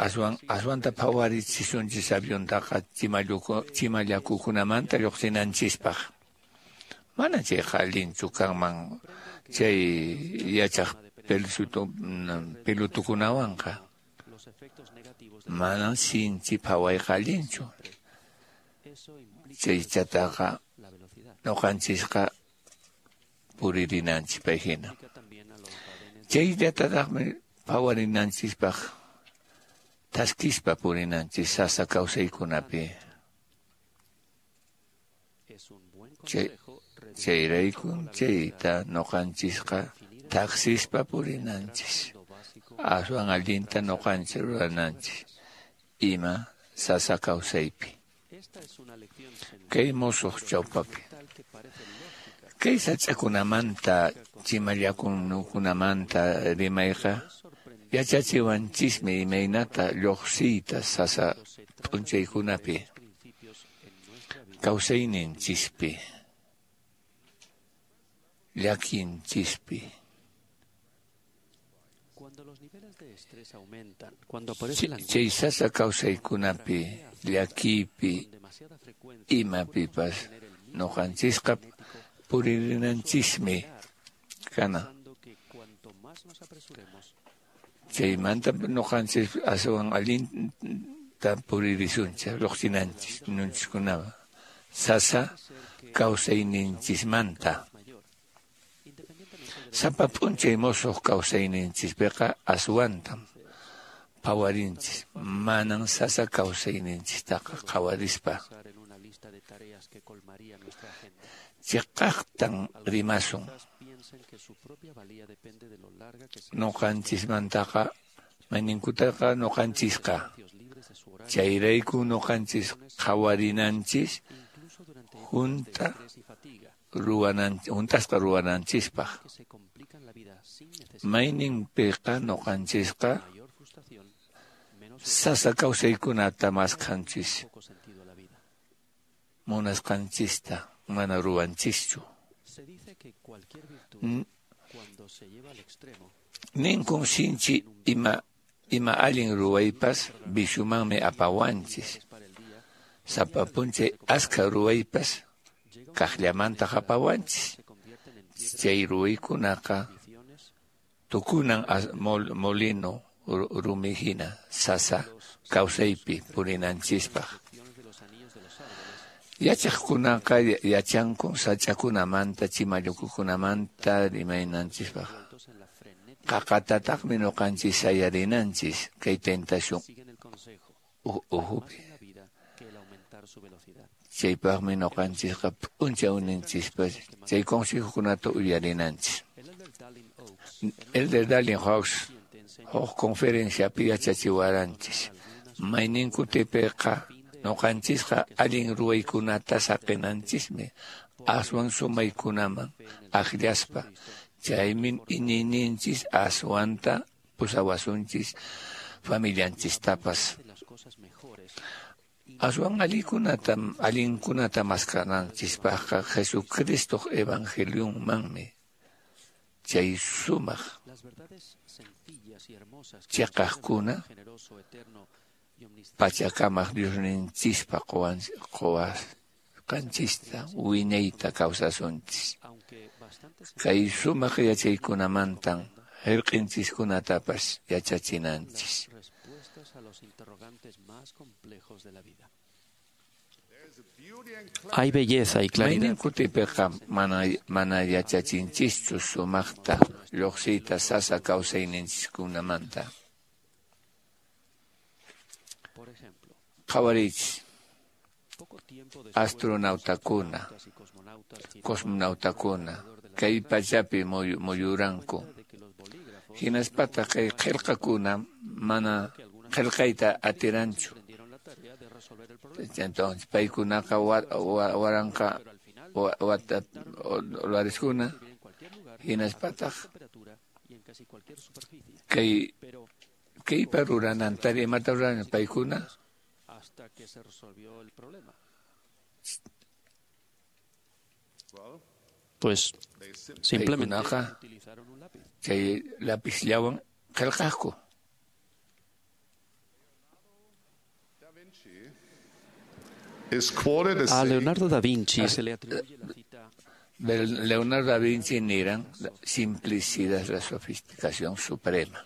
aswanta phawarichisunchis aviontaqa chimallakukunamanta lluqsinanchispaq. Mana chayqa allinchu kanman chay yachaq pilutukunawanqa. Manan sinchi phawayqa allinchu. Chaychataqa nuqanchisqa puririnanchis pay hina. Chayllatataqmi phawarinanchispaq thaskispa purinanchis sasa kawsaykunapi. Chayraykun chayta nuqanchisqa taqsispa purinanchis. Aswan allinta nuqanchis rurananchis ima sasa kawsaypi. Kay musuq chawpapi. Kay sach'akunamanta chimallakunakunamanta rimayqa yachachiwanchismi imaynata lluqsiyta sasa p'unchaykunapi kawsayninchispi llakinchispi. Chay sasa kawsaykunapi llakipi imapipas nuqanchisqa puririnanchismi kana. Chaymanta nuqanchis aswan allinta puririsunchis lluqsinanchis nunchiskunawan sasa kawsayninchismanta. Sapa p'unchay musuq kawsayninchispiqa aswantam phawarinchis manan sasa kawsayninchistaqa qhawarispa. Chiqaqtan rimasun. Nuqanchismantaqa mayninkutaqa nuqanchisqa. Chayrayku nuqanchis qhawarinanchis junta Hunt'asqa ruwananchispaq. Mayninpiqa ñuqanchisqa sasa kawsaykunata maskhanchis, munasqanchista mana ruwanchischu. Ninkun sinchi ima allin ruwaypas viciomanmi apawanchis. Sapa p'unchay askha ruwaypas kaqllamantaq apawanchis. Chay ruwaykunaqa tukunan molino rumi hina sasa kawsaypi purinanchispaq. Yachaqkunaqa yachankun sach'akunamanta chimallukukunamanta rimaynanchispaq. Qaqatataqmi ñuqanchis sayarinanchis kay tentación uhupi. Chaypaqmi ñuqanchisqa p'unchawninchispas chay consejokunata uyarinanchis. Elder Dallin Hawks huk conferenciapi yachachiwaranchis. Mayninkutipiqa ñuqanchisqa allin ruwaykunata saqinanchismi aswan sumaykunaman akllaspa. Chaymi iñiyninchis aswanta pusawasunchis familianchistapas. Aswan allinkunata maskananchispaqqa Jesucristoq evangelionmanmi chay sumaq chiqaqkuna pachakamaq Diosninchispa quwasqanchista wiñayta kawsasunchis. Kay sumaq yachaykunamantan hirq'inchiskunatapas yachachinanchis. Hay belleza y claridad. Mayninkutipiqa mana yachachinchischu sumaqta lluqsiyta sasa kawsayninchiskunamanta. Qhawariychis astronautakuna, cosmonautakuna kay pachapi muyuranku. Hinaspataq kay qillqakuna mana qillqayta atiranchu. Entonces paykunaqa waranqa wata dólareskuna hinaspataq kaypa ruranantari imata ruran paykuna Pues simplemente paykunaqa chay lapizllawan qillqaqku. A Leonardo da Vinci se le atribuye la cita. Leonardo da Vinci niran, la simplicidad es la sofisticación suprema.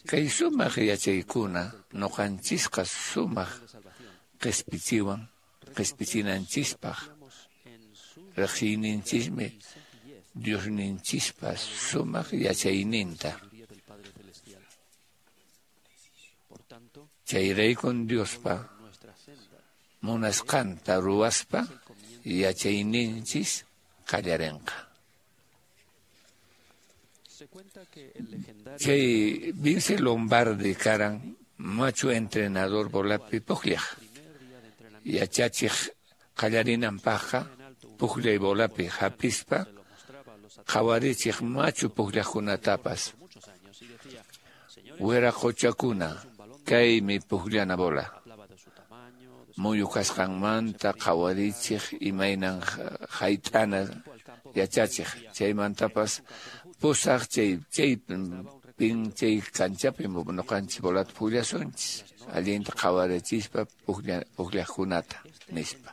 Kay sumaq yachaykuna ñuqanchisqa sumaq qispichiwan qispichinanchispaq riqsiyninchismi Diosninchispa sumaq yachayninta. Chayraykun Diospa munasqanta ruwaspa yachayninchis qallarinqa. Chay Vince Lombardi karan machu entrenador bolapi pukllaq. Yachachiq qallarinanpaqqa pukllay bolapi hapispa qhawarichiq machu pukllaqkunatapas. Wiraqochakuna kaymi pukllana bola. Muyu kasqanmanta qhawarichiq imaynan hayt'ana yachachiq. Chaymantapas pusaq chay kanchapi ñuqanchis bolata pukllasunchis allinta qhawarichispa pukllaqkunata nispa.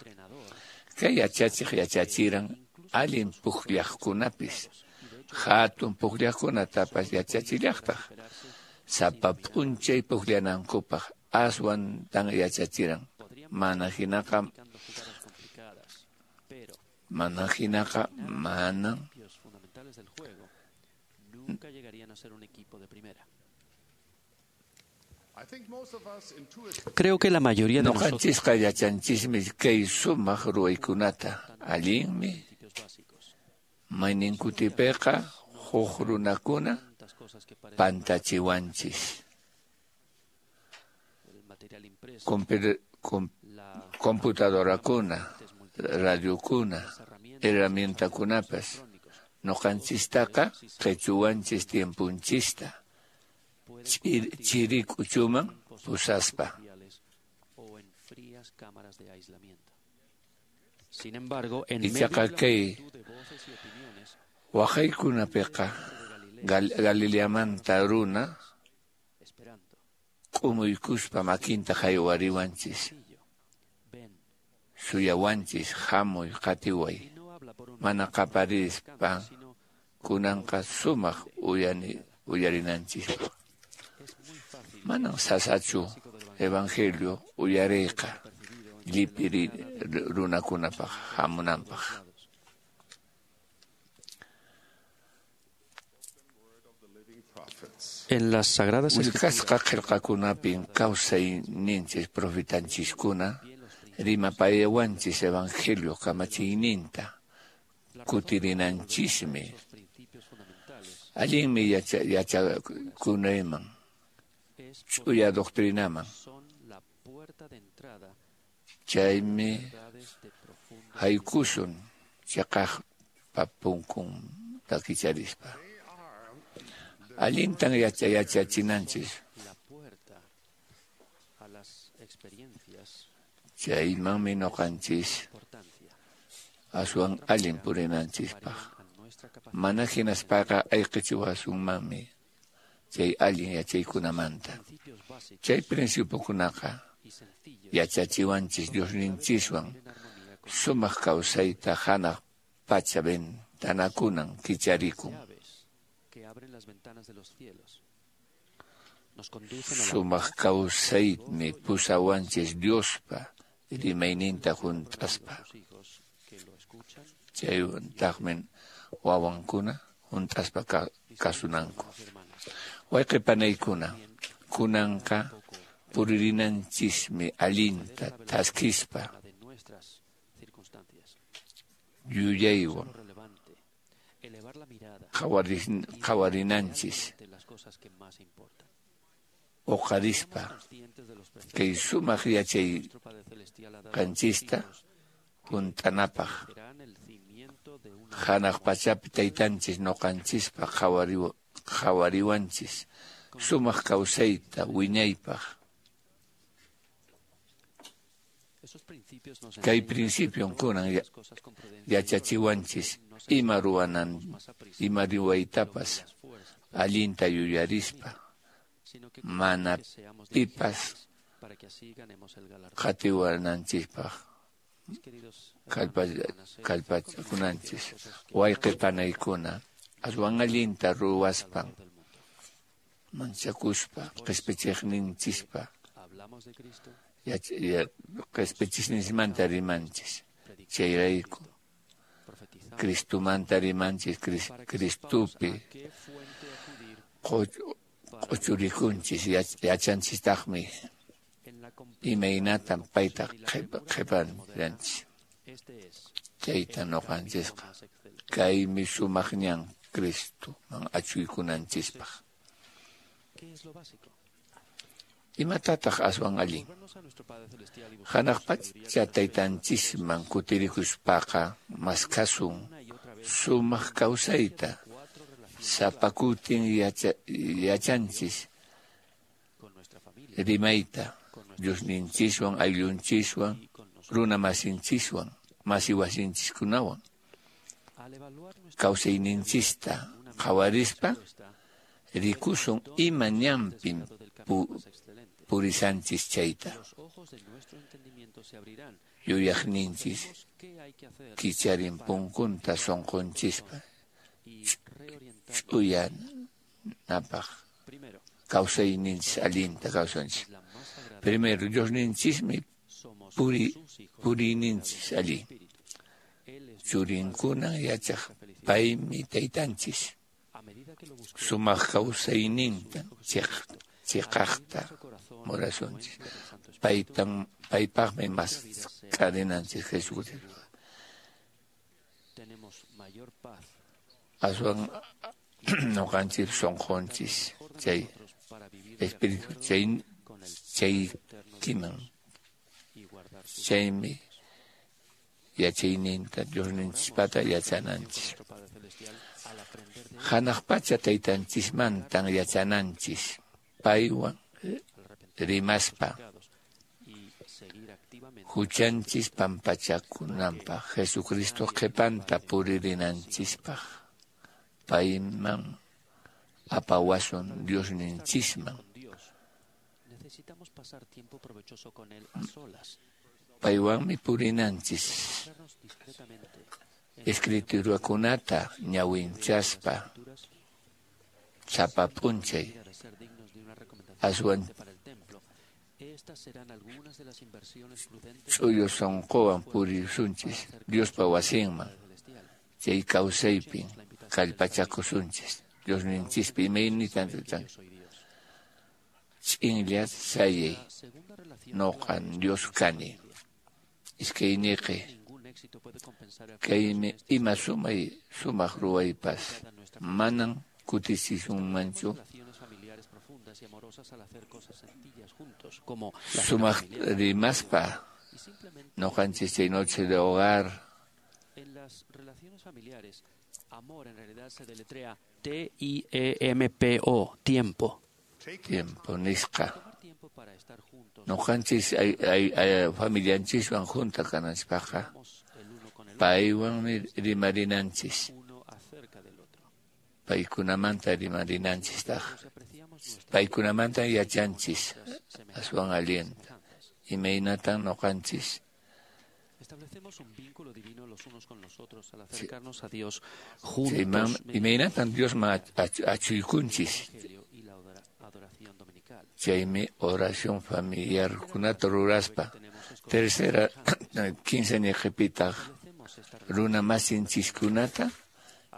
Kay yachachiq yachachiran allin pukllaqkunapis hatun pukllaqkunatapas yachachillaqtaq sapa p'unchay pukllanankupaq aswantan yachachiran. Mana hinaqa manan Creo que la mayoría de nosotros ñuqanchisqa yachanchismi kay sumaq ruwaykunata allinmi mayninkutipiqa huk runakuna pantachiwanchis. Computadorakuna, radiokuna, herramientakunapas noqanchistaqa qichuwanchis tiempunchista chiri k'uchuman pusaspa. Ichaqa kay waqaykunapiqa Galileamanta runa k'umuykuspa makinta haywariwanchis, suyawanchis, hamuy qatiway, mana qaparispa kunanqa sumaq uyarinanchispaq. Manan sasachu evangelio uyariyqa llipi runakunapaq hamunanpaq. En las Sagradas Willkasqa qillqakunapin kawsayninchis profetanchiskuna rimapayawanchis evangelio kamachiyninta kutirinanchismi. Allinmi yachakunayman ch'uya doctrinaman. Chaymi haykusun chiqaqpa punkunta kicharispa. Allintan yachachinanchis. Chaymanmi noqanchis aswan allin purinanchispaq. Mana hinaspaqa ayqichiwasunmanmi chay allin yachaykunamanta. Chay principiokunaqa yachachiwanchis Diosninchiswan sumaq kawsayta hanaq pacha ventanakunan kicharikun. Sumaq kawsaymi pusawanchis Diospa rimayninta hunt'aspa. Chaywantaqmi wawankuna hunt'aspa kasunanku. Wayqi panaykuna, kunanqa puririnanchismi allinta thaskispa yuyaywan qhawarinanchis, uqarispa kay sumaq yachay qanchista hunt'anapaq. Hanaq pachapi taytanchis noqanchispaq qhawariwanchis sumaq kawsayta wiñaypaq. Kay principion kunan yachachiwanchis ima ruwanan, ima ruwaytapas allinta yuyarispa, mana pipas qatiwananchispaq kallpachakunanchis. Wayqi panaykuna, aswan allinta ruwaspan manchakuspa qispichiqninchispa qispichisninchikmanta rimanchis. Chayrayku Cristumanta rimanchis, Cristupi q'uchurikunchis, yachanchistaqmi imaynatam payta qhipananchis. Chayta noqanchisqa kaymi sumaq ñan Cristuman achuykunanchispaq. Imatataq aswan allin? Hanaq pacha taytanchisman kutirikuspaqa maskhasun sumaq kawsayta. Sapa kutin yachanchis rimayta Diosninchiswan, ayllunchiswan, runa masinchiswan, masi wasinchiskunawan. Kawsayninchista qhawarispa rikusun ima ñanpin purisanchis chayta. Yuyaqninchis kicharin punkunta sunqunchispa ch'uyanapaq kawsayninchis allinta kawsanchis. Primero, Diosninchismi puriyninchis allin. Churinkuna yachaq paymi taytanchis. Sumaq kawsayninta chiqaqta murasunchis. Paypaqmi mask'arinanchis Jesucristo. Aswan noqanchis sunqunchis chay espíritu chaykiman. Chaymi yachayninta Diosninchispata yachananchis. Hanaq pacha taytanchismantan yachananchis paywan rimaspa huchanchis pampachakunanpaq Jesucristo qhipanta puririnanchispaq payman apawasun Diosninchisman. Paywanmi purinanchis escriturakunata ñawinchaspa sapa p'unchay aswan ch'uyo sunquwan purisunchis Diospa wasinman chay kawsaypin kallpachakusunchis Diosninchispi imaynitan ch'inlla sayay noqan Dios kani iskayniqi kaymi ima sumay sumaq ruwaypas manan kutichisunmanchu sumaq rimaspa noqanchis chay noche de hogar. En las relaciones familiares, amor en realidad se deletrea T-I-E-M-P-O, tiempo. Tiempo nisqa. Noqanchis familianchiswan junta kananchikpaqqa paywanmi rimarinanchis. Paykunamanta rimarinanchistaq. Paykunamanta yachanchis aswan allinta. Imaynatan noqanchis Establecemos un vínculo divino los unos con los otros al acercarnos a Dios juntos. Imaynatan Diosman achuykunchis. Chaymi oración familiar kunata ruraspa. Tercera, 15 niqipitaq runa masinchiskunata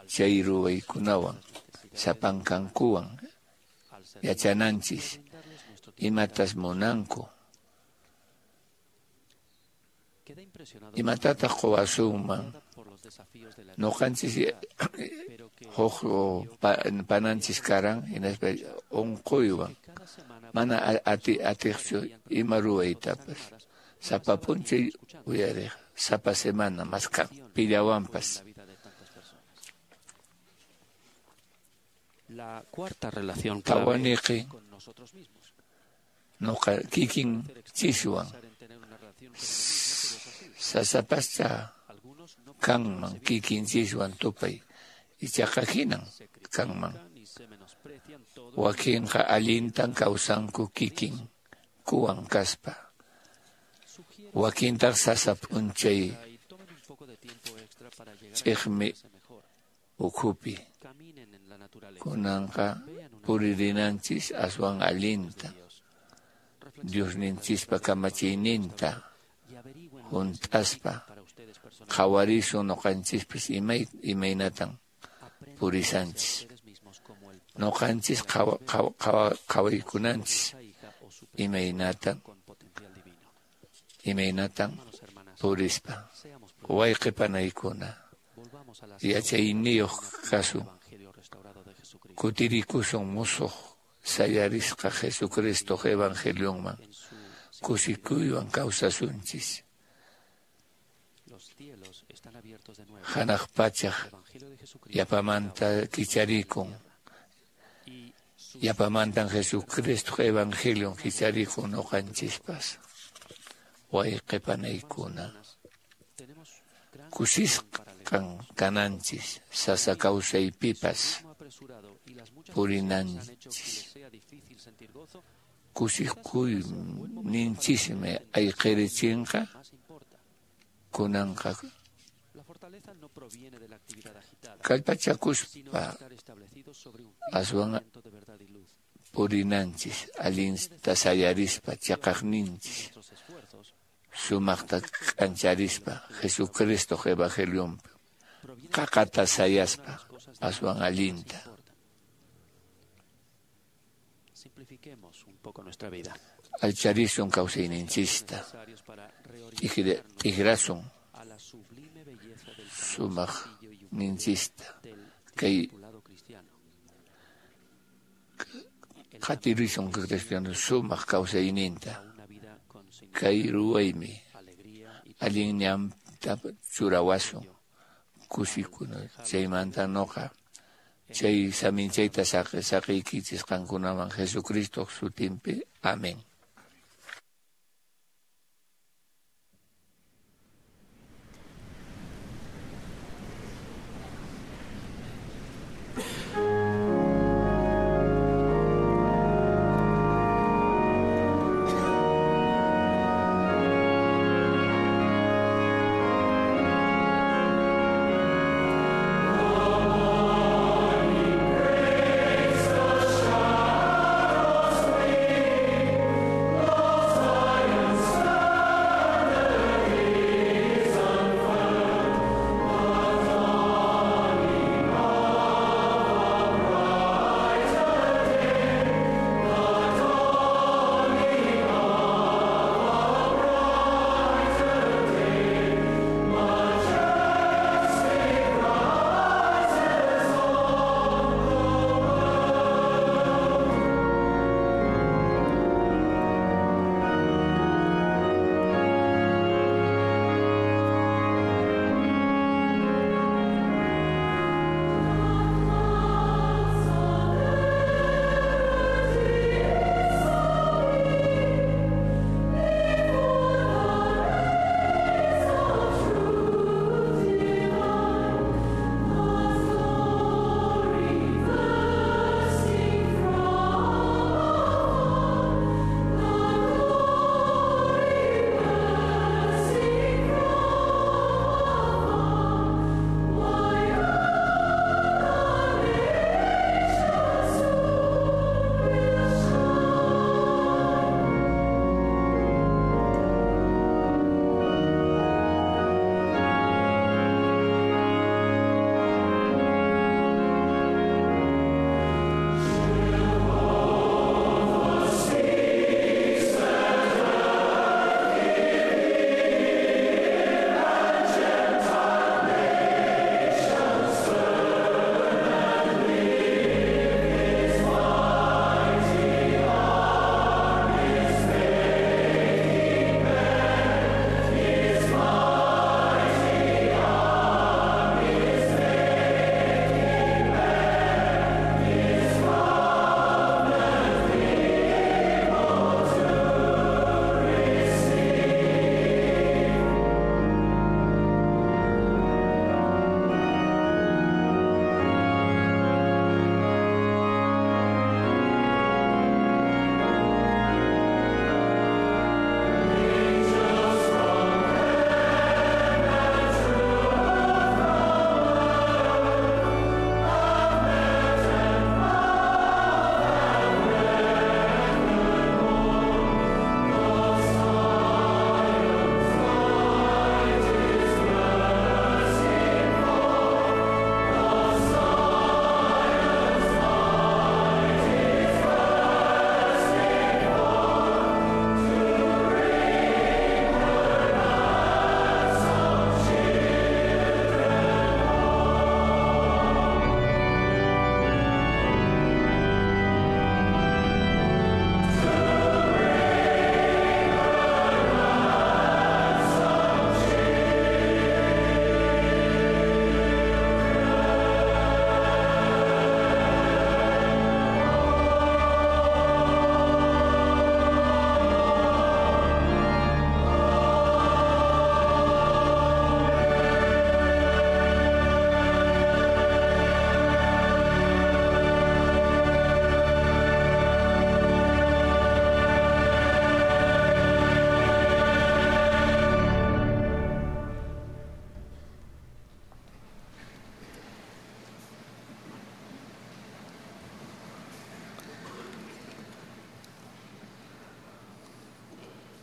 chay ruwaykunawan sapankankuwan yachananchis imatas munanku. Imatataq quwasunman noqanchis huk pananchis karan hinaspa unquywan mana atiqchu ima ruwaytapas sapa p'unchay uyariq sapa semana maskan pillawanpas. La cuarta relación clave Tawaniqi con nosotros mismos. noqa kikin chiswan sasapascha kanman kikinchiswan tupay ichaqa hinan kanman wakinqa allintan kawsanku kikin kuwan kaspa wakintaq sasa p'unchay ch'iqmi ukhupi kunanqa puririnanchis aswan allinta Diosninchispa kamachiyninta hunt'aspa qhawarisun noqanchispis imaynatan purisanchis noqanchis qhawaykunanchis imaynatan purispa wayqi panaykuna yachayniyuq kasun kutirikusun musuq sayarisqa Jesucristoq evangelionman kusikuywan kawsasunchis. Hanaq pachaq yapamanta kicharikun yapamantan Jesucristoq evangelion kicharikun noqanchispas wayqi panaykuna kusisqan kananchis sasa kawsaypipas purinanchis kusikuyninchismi ayqirichinqa kunanqa kallpachakuspa aswan purinanchis allinta sayarispa chaqaqninchis sumaqta k'ancharispa Jesucristoq evangelionpi qaqata sayaspa aswan allinta. Simplifiquemos un poco nuestra vida. Alcharisun kawsayninchista t'ikrasun sumaq ninchista kay qatirisun cristiano sumaq kawsayninta kay ruwaymi allin ñanpi Chayta churawasun kusikuna chaymanta noqa chay saminchayta saqiykichis qankunaman Jesucristo sutinpi. Amén.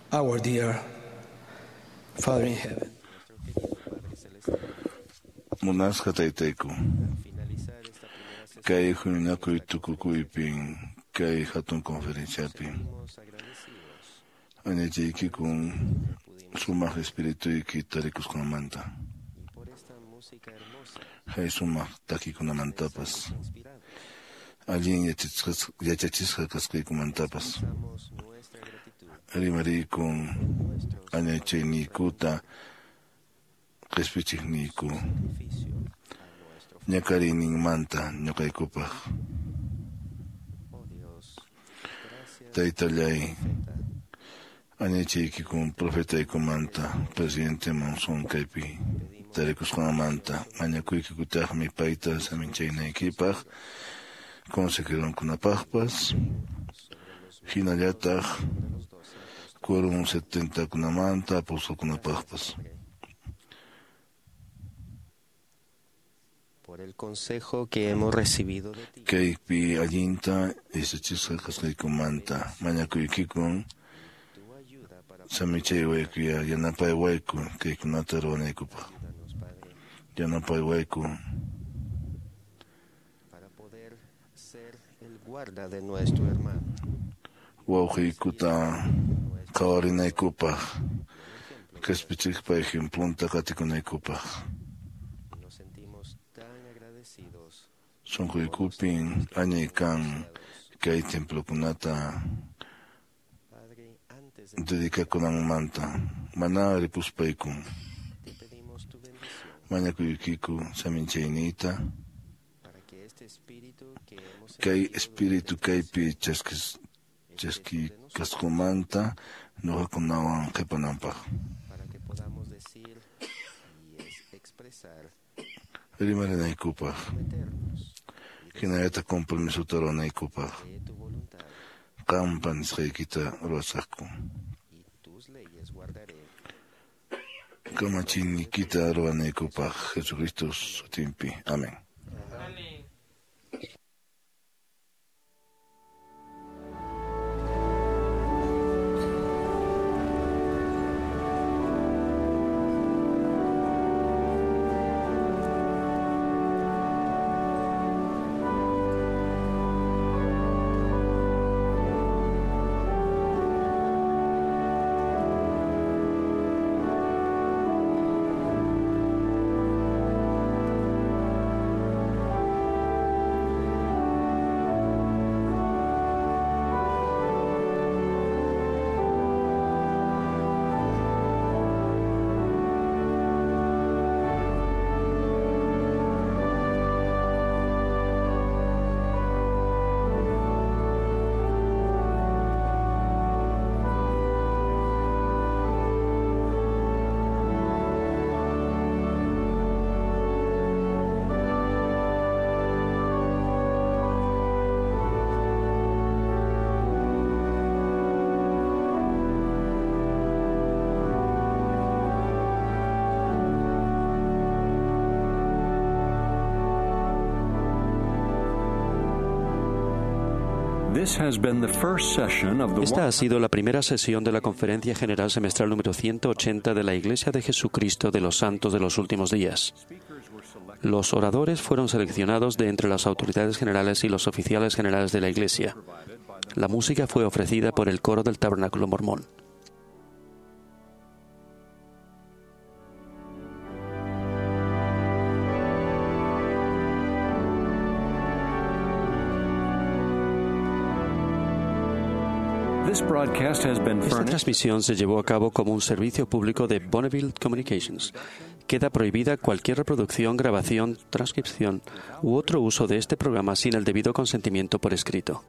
Our dear Father in heaven. Munasqa taytayku, kay huñunakuy tukukuypin, kay hatun conferenciapi, añachaykikun sumaq espirituyki tarikusqanmanta, hay sumaq takikunamantapas, allin yachachisqa kasqaykumantapas, rimarikun añachayniykuta Qespichiqniyku ñak'ariyninmanta ñuqaykupaq. Taytallay, añachaykikun profetaykumanta presidente Monson kaypi tarikusqanmanta mañakuykikutaqmi payta saminchaynaykipaq consejeronkunapaqpas hinallataq quórum 70kunamanta apostolkunapaqpas. Por el consejo que hemos recibido de ti. Kaypi allinta yachachisqa kasqaykumanta mañakuykikun samichaywaykuya yanapaywayku kaykunata ruwanaykupaq. Yanapaywayku para poder ser el guarda de nuestro hermano. Wawqiykuta qhawarinaykupaq qhispichiqpa ejemplunta qatikunaykupaq. Nos sentimos tan agradecidos Sunquykupin añay kan kay templokunata Padre, antes de dedicakunanmanta mana ripuspaykun te pedimos tu bendición mañakuykiku saminchayniyta para que este espíritu que hemos kay espíritu kaypi chaskikasqumanta ñuqakunawan qhipananpaq. para que podamos decir y expresar Rimarinaykupaq hinallataq compromisota ruwanaykupaq de tu voluntad qampa nisqaykita ruwasaqku. y tus leyes guardaré. Kamachiyniykita ruwanaykupaq Jesucristo sutinpi. Amén. Amén. This has been the first session of the Esta ha sido la primera sesión de la Conferencia General Semestral número 180 de la Iglesia de Jesucristo de los Santos de los Últimos Días. Los oradores fueron seleccionados de entre las autoridades generales y los oficiales generales de la Iglesia. La música fue ofrecida por el coro del Tabernáculo Mormón. This broadcast has been Esta furnished transmisión se llevó a cabo como un servicio público de Bonneville Communications. Queda prohibida cualquier reproducción, grabación, transcripción u otro uso de este programa sin el debido consentimiento por escrito.